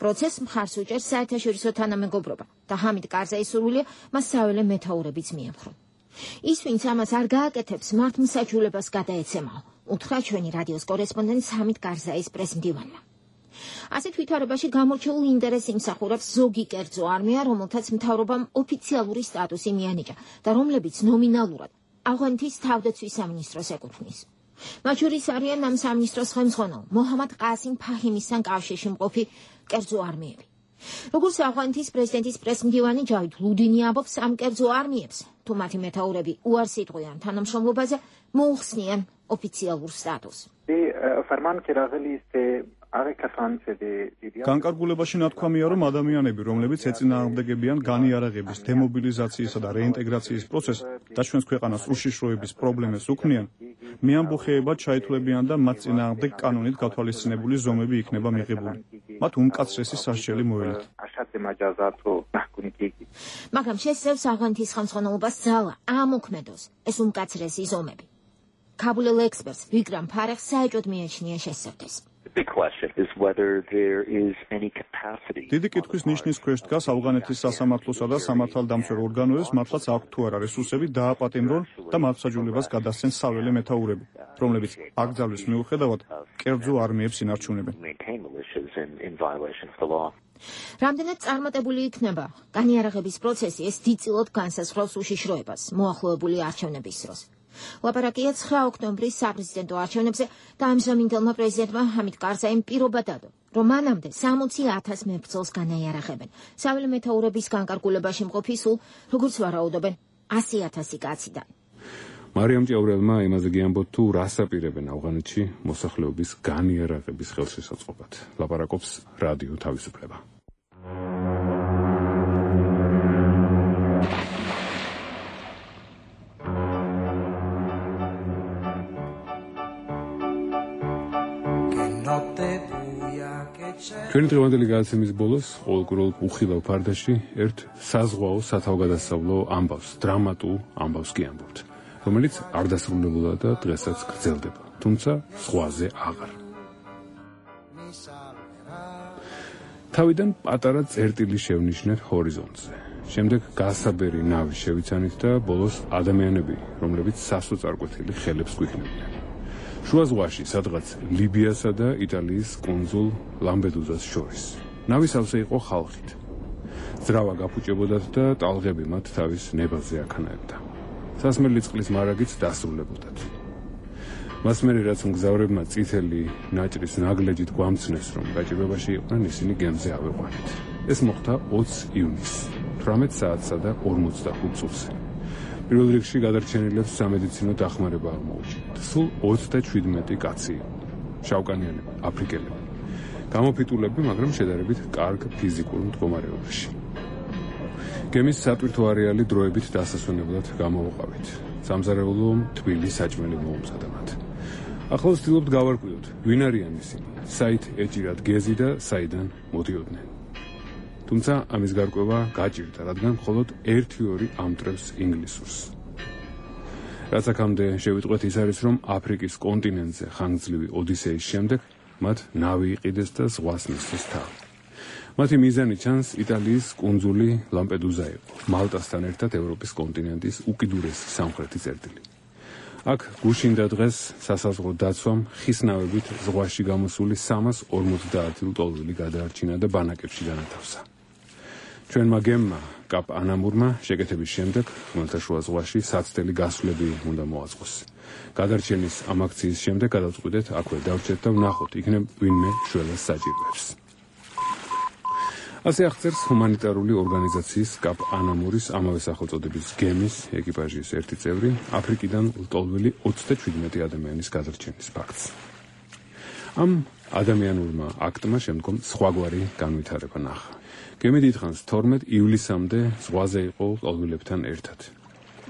Speaker 1: პროცესს მხარს უჭერს საერთაშორისო თანამეგობრობა და ჰამიდ კარზაის სურვილია მას საველე მეთაურებიც მიემხრო. ის, ვინც ამას არ გააკეთებს, მართლმსაჯულებას გადაეცემაო, უთხრა ჩვენი რადიოს კორესპონდენტ ჰამიდ კარზაის პრესმდივანმა. ასეთ ვითარებაში გამორჩეულ ინტერესს იმსახურებს ზოგი კერძო არმია, რომელთაც მთავრობამ ოფიციალური სტატუსი მიანიჭა და რომლებიც ნომინალურად ავღანეთის თავდაცვის სამინისტროს ეკუთვნის. მათ შორის არიან ამ სამინისტროს ხელმძღვანელ მოჰამად ყასიმ ფაჰიმისთან კავშირში მყოფი კერძო არმიები. როგორც ავღანეთის პრეზიდენტის პრესმდივანი ჯავიდ ლუდინი ამბობს, ამ კერძო არმიებს, თუ მათი მეთაურები უარს იტყვიან თანამშრომლობაზე, მოუხსნიან ოფიციალურ სტატუსს.
Speaker 6: განკარგულებაში ნათქვამია, რომ ადამიანები, რომლებიც ეწინააღმდეგებიან განიარაღების, დემობილიზაციისა და რეინტეგრაციის პროცესს და ჩვენს ქვეყანას უშიშროების პრობლემებს უქმნიან, მეამბოხეებად ჩაითვლებიან და მათ წინააღმდეგ კანონით გათვალისწინებული ზომები იქნება მიღებული. მათ უმკაცრესი სასჯელი მოელით.
Speaker 1: მაგრამ შესწევს ავღანეთის ხელმძღვანელობას ძალა ამოქმედოს ეს უმკაცრესი ზომები. ქაბულელ ექსპერტს ვიგრამ ფარეხს საეჭვოდ მიაჩნია შესწევდეს.
Speaker 6: დიდი კითხვის ნიშნის ქვეშ დგას ავღანეთის სასამართლოსა და სამართალდამცველ ორგანოებს, მართლაც აქვთ თუ არა რესურსები დააპატიმრონ და მართლმსაჯულებას გადასცენ საველე მეთაურები, რომლებიც აკრძალვის მიუხედავად კერძო არმიებს ინარჩუნებენ.
Speaker 1: რამდენად წარმატებული იქნება განიარაღების პროცესი, ეს დიდწილად განსაზღვრავს უშიშროებას მოახლოებული არჩევნების დროს. ლაპარაკია ცხრა ოქტომბრის საპრეზიდენტო არჩევნებზე და ამჟამინდელმა პრეზიდენტმა ჰამიდ კარზაიმ პირობა დადო, რომ მანამდე სამოცი ათას მებრძოლს განაიარაღებენ. საველე მეთაურების განკარგულებაში მყოფი სულ, როგორც ვარაუდობენ, ასი ათასი კაციდან.
Speaker 3: მარიამ ჭაურელმა იმაზე გიამბოთ, თუ რას აპირებენ ავღანეთში მოსახლეობის განიარაღების ხელშესაწყობად. ლაპარაკობს რადიო თავისუფლება. ჩვენი დღევანდელი გადაცემის ბოლოს ყოველკვირეულ უხილავ ფარდაში ერთ საზღვაო სათავგადასავლო ამბავს, დრამატულ ამბავს გიამბობთ, რომელიც არ დასრულებულა და დღესაც გრძელდება, თუმცა ზღვაზე აღარ. თავიდან პატარა წერტილი შევნიშნეთ ჰორიზონტზე. შემდეგ გასაბერი ნავი შევიცანით და ბოლოს ადამიანები, რომლებიც სასოწარკვეთილი ხელებს გვიქნებიან. შუა ზღვაში, სადღაც ლიბიასა და იტალიის კუნძულ ლამპედუზას შორის. ნავი სავსე იყო ხალხით. ძრავა გაფუჭებოდათ და ტალღები მათ თავის ნებაზე აქანაებდა. სასმელი წყლის მარაგიც დასრულებოდათ. მას მერე რაც მგზავრებმა წითელი ნაჭრის ნაგლეჯით გვამცნეს, რომ გაჭირვებაში იყვნენ, ისინი გემზე ავიყვანეთ. ეს მოხდა ოცი ივნისს, თვრამეტ საათსა და ორმოცდახუთ წუთზე. პირველ რიგში გადარჩენილებს სამედიცინო დახმარება აღმოუჩინეთ. სულ ოცდაჩვიდმეტი კაცი, შავკანიანები, აფრიკელები, გამოფიტულები, მაგრამ შედარებით კარგ ფიზიკურ მდგომარეობაში. გემის სატვირთო არეალი დროებით დასასვენებლად გამოვუყავით. სამზარეულო თბილი საჭმელი მოუმზადა მათ. ახლა ვცდილობთ გავარკვიოთ, ვინ არიან ისინი, საით ეჭირათ გეზი და საიდან მოდიოდნენ. თუმცა ამის გარკვევა გაჭირდა, რადგან მხოლოდ ერთი-ორი ამტრევს ინგლისურს. რაც აქამდე შევიტყვეთ, ის არის, რომ აფრიკის კონტინენტზე ხანგრძლივი ოდისეის შემდეგ მათ ნავი იყიდეს და ზღვას მისცეს თავი. მათი მიზანი ჩანს იტალიის კუნძული ლამპედუზა იყო, მალტასთან ერთად ევროპის კონტინენტის უკიდურესი სამხრეთი წერტილი. აქ გუშინდა დღეს სასაზღვრო დაცვამ ხის ნავებით ზღვაში გამოსული სამას ორმოცდაათი ლტოლვილი გადაარჩინა და ბანაკებში განათავსა. ჩვენმა გემმა კაპ ანამურმა შეკეთების შემდეგ ხმელთაშუა ზღვაში საცდელი გასვლები უნდა მოაწყოს. გადარჩენის ამ აქციის შემდეგ გადავწყვიტეთ აქვე დავრჩეთ და ვნახოთ იქნებ ვინმე შველას საჭიროებს. ასე აღწერს ჰუმანიტარული ორგანიზაციის კაპ ანამურის ამავე სახელწოდების გემის ეკიპაჟის ერთი წევრი აფრიკიდან ლტოლვილი ოცდაჩვიდმეტი ადამიანის გადარჩენის ფაქტს. ამ ადამიანურმა აქტმა შემდგომ სხვაგვარი განვითარება ნახა. გემი დიდხანს თორმეტ ივლისამდე ზღვაზე იყო ლტოლვილებთან ერთად.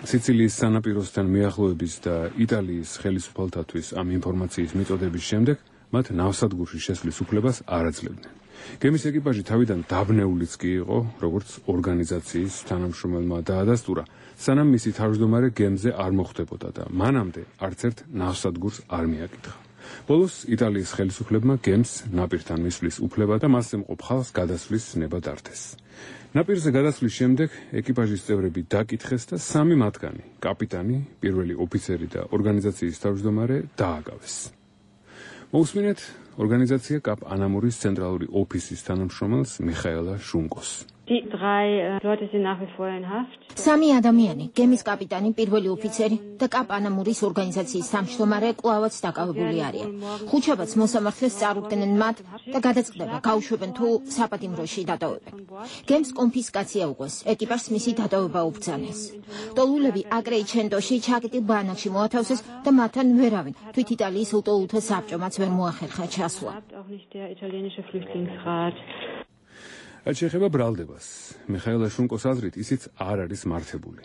Speaker 3: სიცილიის სანაპიროსთან მიახლოების და იტალიის ხელისუფალთათვის ამ ინფორმაციის მიწოდების შემდეგ მათ ნავსადგურში შესვლის უფლებას არ აძლევდნენ. გემის ეკიპაჟი თავიდან დაბნეულიც კი იყო, როგორც ორგანიზაციის თანამშრომელმა დაადასტურა, სანამ მისი თავმჯდომარე გემზე არ მოხვდებოდა და მანამდე არც ერთ ნავსადგურს არ მიაკითხა. ბოლოს იტალიის ხელისუფლებმა გემს ნაპირთან მისვლის უფლება და მასზე მყოფ ხალხს გადასვლის ნება დართეს. ნაპირზე გადასვლის შემდეგ ეკიპაჟის წევრები დაკითხეს და სამი მათგანი, კაპიტანი, პირველი ოფიცერი და ორგანიზაციის თავმჯდომარე დააგავეს. მოусმინეთ ორგანიზაცია კაპ ანამურის ცენტრალური ოფისის თანამშრომელს მიხაელა შუნკოს.
Speaker 1: სამი ადამიანი, გემის კაპიტანი, პირველი ოფიცერი და კაპ ანამურის ორგანიზაციის თავმჯდომარე კვლავაც დაკავებული არიან. ხუჩაბაც მოსამართლეს წარუდგნენ მათ და გადაწყდება გაუშვებენ თუ საპატიმროში დატოვებენ. გემს კონფისკაცია უყვეს, ეკიპაჟს მისი დატოვება უბრძანეს. ტოლულები აკრეიჩენტოში ჩაკეტილ ბანაკში მოათავსეს და მათთან ვერავინ თვით იტალიის ლტოლულთა საბჭომაც ვერ მოახერხა ჩასვლა.
Speaker 3: რაც შეეხება ბრალდებას, მიხაელა შუნკოს აზრით, ისიც არ არის მართებული.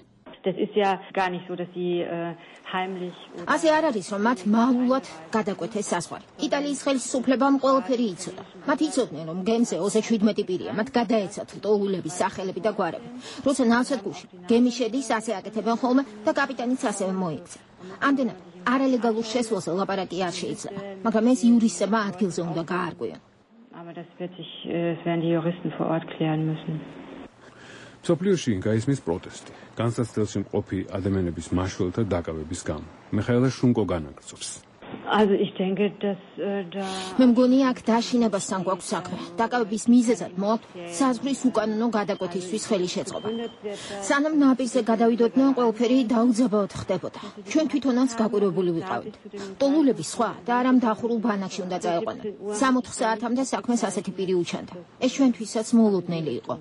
Speaker 1: ასე არ არის, რომ მათ მალულად გადაკვეთეს საზღვარი. იტალიის ხელისუფლებამ ყველაფერი იცოდა. მათ იცოდნენ, რომ გემზე ოცდაშვიდ პირია, მათ გადაეცათ ლტოლულების სახელები და გვარები. როცა ნავსადგურში გემი შედის, ასე აკეთებენ ხოლმე და კაპიტანიც ასევე მოიქცა. ამდენად არალეგალურ შესვლაზე ლაპარაკი არ შეიძლება, მაგრამ ეს იურისტებმა ადგილზე უნდა გაარკვიონ.
Speaker 9: Aber das wird sich, das werden die Juristen vor Ort klären müssen.
Speaker 3: სოფლიოში გაისმის პროტესტი. განსაცდელში მყოფი ადამიანების მაშველთა დაკავების გამო. მიხაელა შუნკო განაგრძობს.
Speaker 9: Also ich denke, dass da
Speaker 1: მე მგონია აქ დაშინებასთან გვაქვს საქმე. დაკავების მიზეზად მოაქვს საზღვრის უკანონო გადაკვეთისთვის ხელი შეწყობა. სანამ ნაპირზე გადავიდოდნენ, ყველაფერი დაუძაბავად ხდებოდა. ჩვენ თვითონაც გაკვირვებული ვიყავით. ტოლულები სხვა და არამ დახურულ ბანაკში უნდა წაეყვანან. სამოთხ საათამდე საქმეს ასეთი პირი უჩანდა. ეს ჩვენთვისაც მოულოდნელი იყო.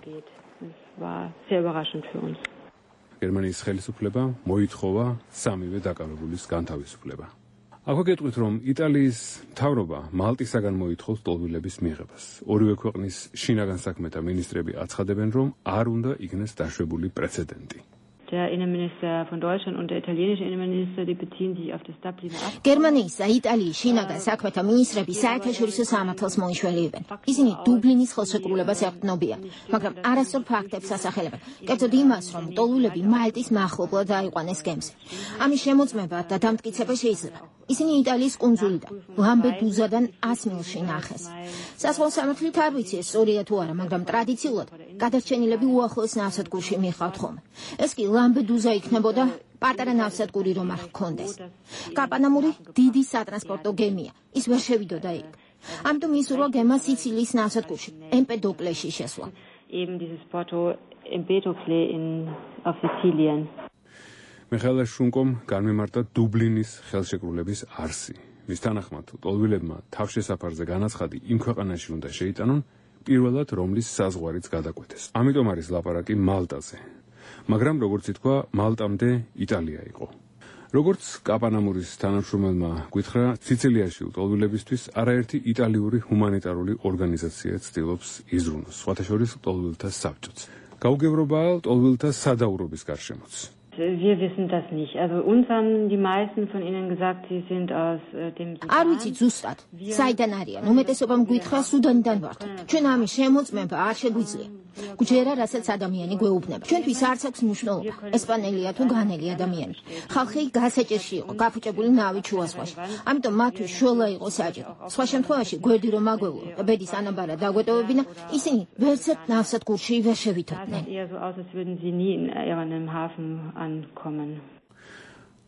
Speaker 3: გერმანიის ხელისუფლება მოითხოვა სამივე დაკავებულის განთავისუფლება. აქვე გეტყვით, რომ იტალიის მთავრობა მალტისაგან მოითხოვს ტოლვილების მიღებას. ორივე ქვეყნის შინაგან საქმეთა მინისტრები აცხადებენ, რომ არ უნდა იქნეს დაშვებული პრეცედენტი.
Speaker 9: Der Innenminister von Deutschland und der italienische Innenminister, die beziehen sich auf das Dubliner Abkommen.
Speaker 1: გერმანიის და იტალიის შინაგან საქმეთა მინისტრები საერთაშორისო სამართალს მოიშველებენ. ისინი დუბლინის ხელშეკრულებას ეყრდნობიან, მაგრამ არასწორ ფაქტებს ასახელებენ. კერძოდ იმას, რომ ტოლულები მალტის მახლობლად დაიყვანეს გემზე. ამის შემოწმება და დამტკიცება შეიძლება. ისინი იტალიის კუნძულიდან, ლამპედუზადან ას მილში ნახეს. საზღვაო სამართლით არ ვიცი ეს სწორია თუ არა, მაგრამ ტრადიციულად გადარჩენილები უახლოეს ნავსადგურში მიხავთ ხოლმე. ეს კი ლამპედუზა იქნებოდა პატარა ნავსადგური რომ არ ჰქონდეს. კაპ ანამური დიდი სატრანსპორტო გემია, ის ვერ შევიდოდა იქ. ამიტომ ისურვა გემა სიცილიის ნავსადგურში, ემპედოკლეში შესვლა.
Speaker 9: Eben dieses Porto Empedocle in auf Sizilien.
Speaker 3: მიხაელა შუნკომ განმემართა დუბლინის ხელშეკრულების არსი. მის თანახმად, ტოლვილებმა თავშესაფარზე განაცხადი იმ ქვეყანაში უნდა შეიტანონ, პირველად რომლის საზღვარიც გადაკვეთეს. ამიტომ არის ლაპარაკი მალტაზე. მაგრამ როგორც ითქვა, მალტამდე იტალია იყო. როგორც კაპ ანამურის თანამშრომელმა გითხრა, სიცილიაში ტოლვილებისთვის არაერთი იტალიური ჰუმანიტარული ორგანიზაცია ცდილობს იზრუნოს, სხვათა შორის ტოლვილთა საბჭოც. გაუგებრობაა ტოლვილთა სადაურობის გარშემოც.
Speaker 9: Wir wissen das nicht. Also uns haben die meisten von ihnen gesagt, sie sind aus äh, dem Sudan.
Speaker 1: არ ვიცი ზუსტად, საიდან არიან. უმეტესობამ გითხრა სუდანიდან ვართ. ჩვენ ამის შემოწმება არ შეგვიძლია. გუჯერა რასაც ადამიანი გვეუბნება. ჩვენთვის არც აქვს მნიშვნელობა, ესპანელია თუ განელი ადამიანი. ხალხი გასაჭირში იყო, გაფუჭებული ნავით შუა ზღვაში. ამიტომ მათთვის შველა იყო საჭირო. სხვა შემთხვევაში გვერდი რომ აგველო და ბედის ანაბარა დაგვეტოვებინა, ისინი ვერცერთ ნავსადგურში ვერ შევიდოდნენ.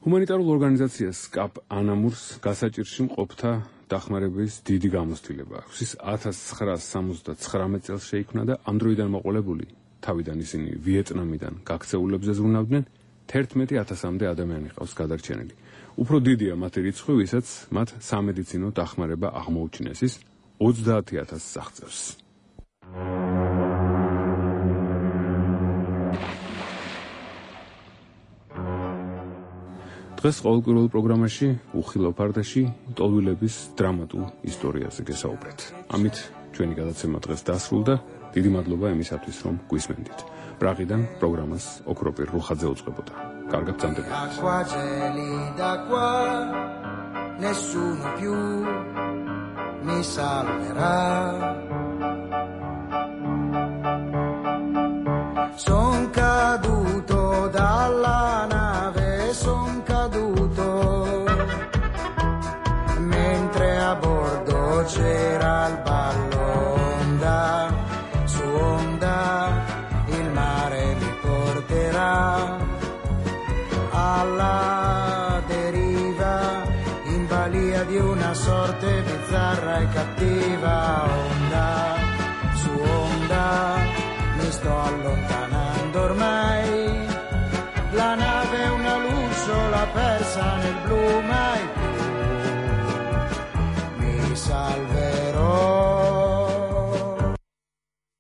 Speaker 3: ჰუმანიტარულ ორგანიზაციას კაპ ანამურს გასაჭირში მყოფთა დახმარების დიდი გამოცდილება აქვს. ის ათას ცხრაას სამოცდაცხრამეტ წელს შეიქმნა და ამ დროიდან მოყოლებული, თავიდან ისინი ვიეტნამიდან გაქცეულებზე ზრუნავდნენ, თერთმეტი ათასამდე ადამიანი ყავს გადარჩენილი. უფრო დიდია მათი რიცხვი, ვისაც მათ სამედიცინო დახმარება აღმოუჩინეს, ის ოცდაათი ათასს აღწევს. დღეს ყოველკვირეულ პროგრამაში უხილო ფარდაში ტოლვილების დრამატულ ისტორიაზე გესაუბრეთ. ამით ჩვენი გადაცემა დღეს დასრულდა. დიდი მადლობა იმისათვის, რომ გვისმენდით. პრაღიდან პროგრამას ოქროპირ რუხაძე უწყებოდა. კარგად ბრძანდება.
Speaker 11: Acqua gelida qua, nessuno più mi salverà. Son caduto dalla nave, son caduto, mentre a bordo c'era il ballo, onda su onda, il mare mi porterà alla deriva, in balia di una sorte bizzarra e cattiva, onda su onda, mi sto allontanando ormai, la nave è una luciola persa nel blu, mai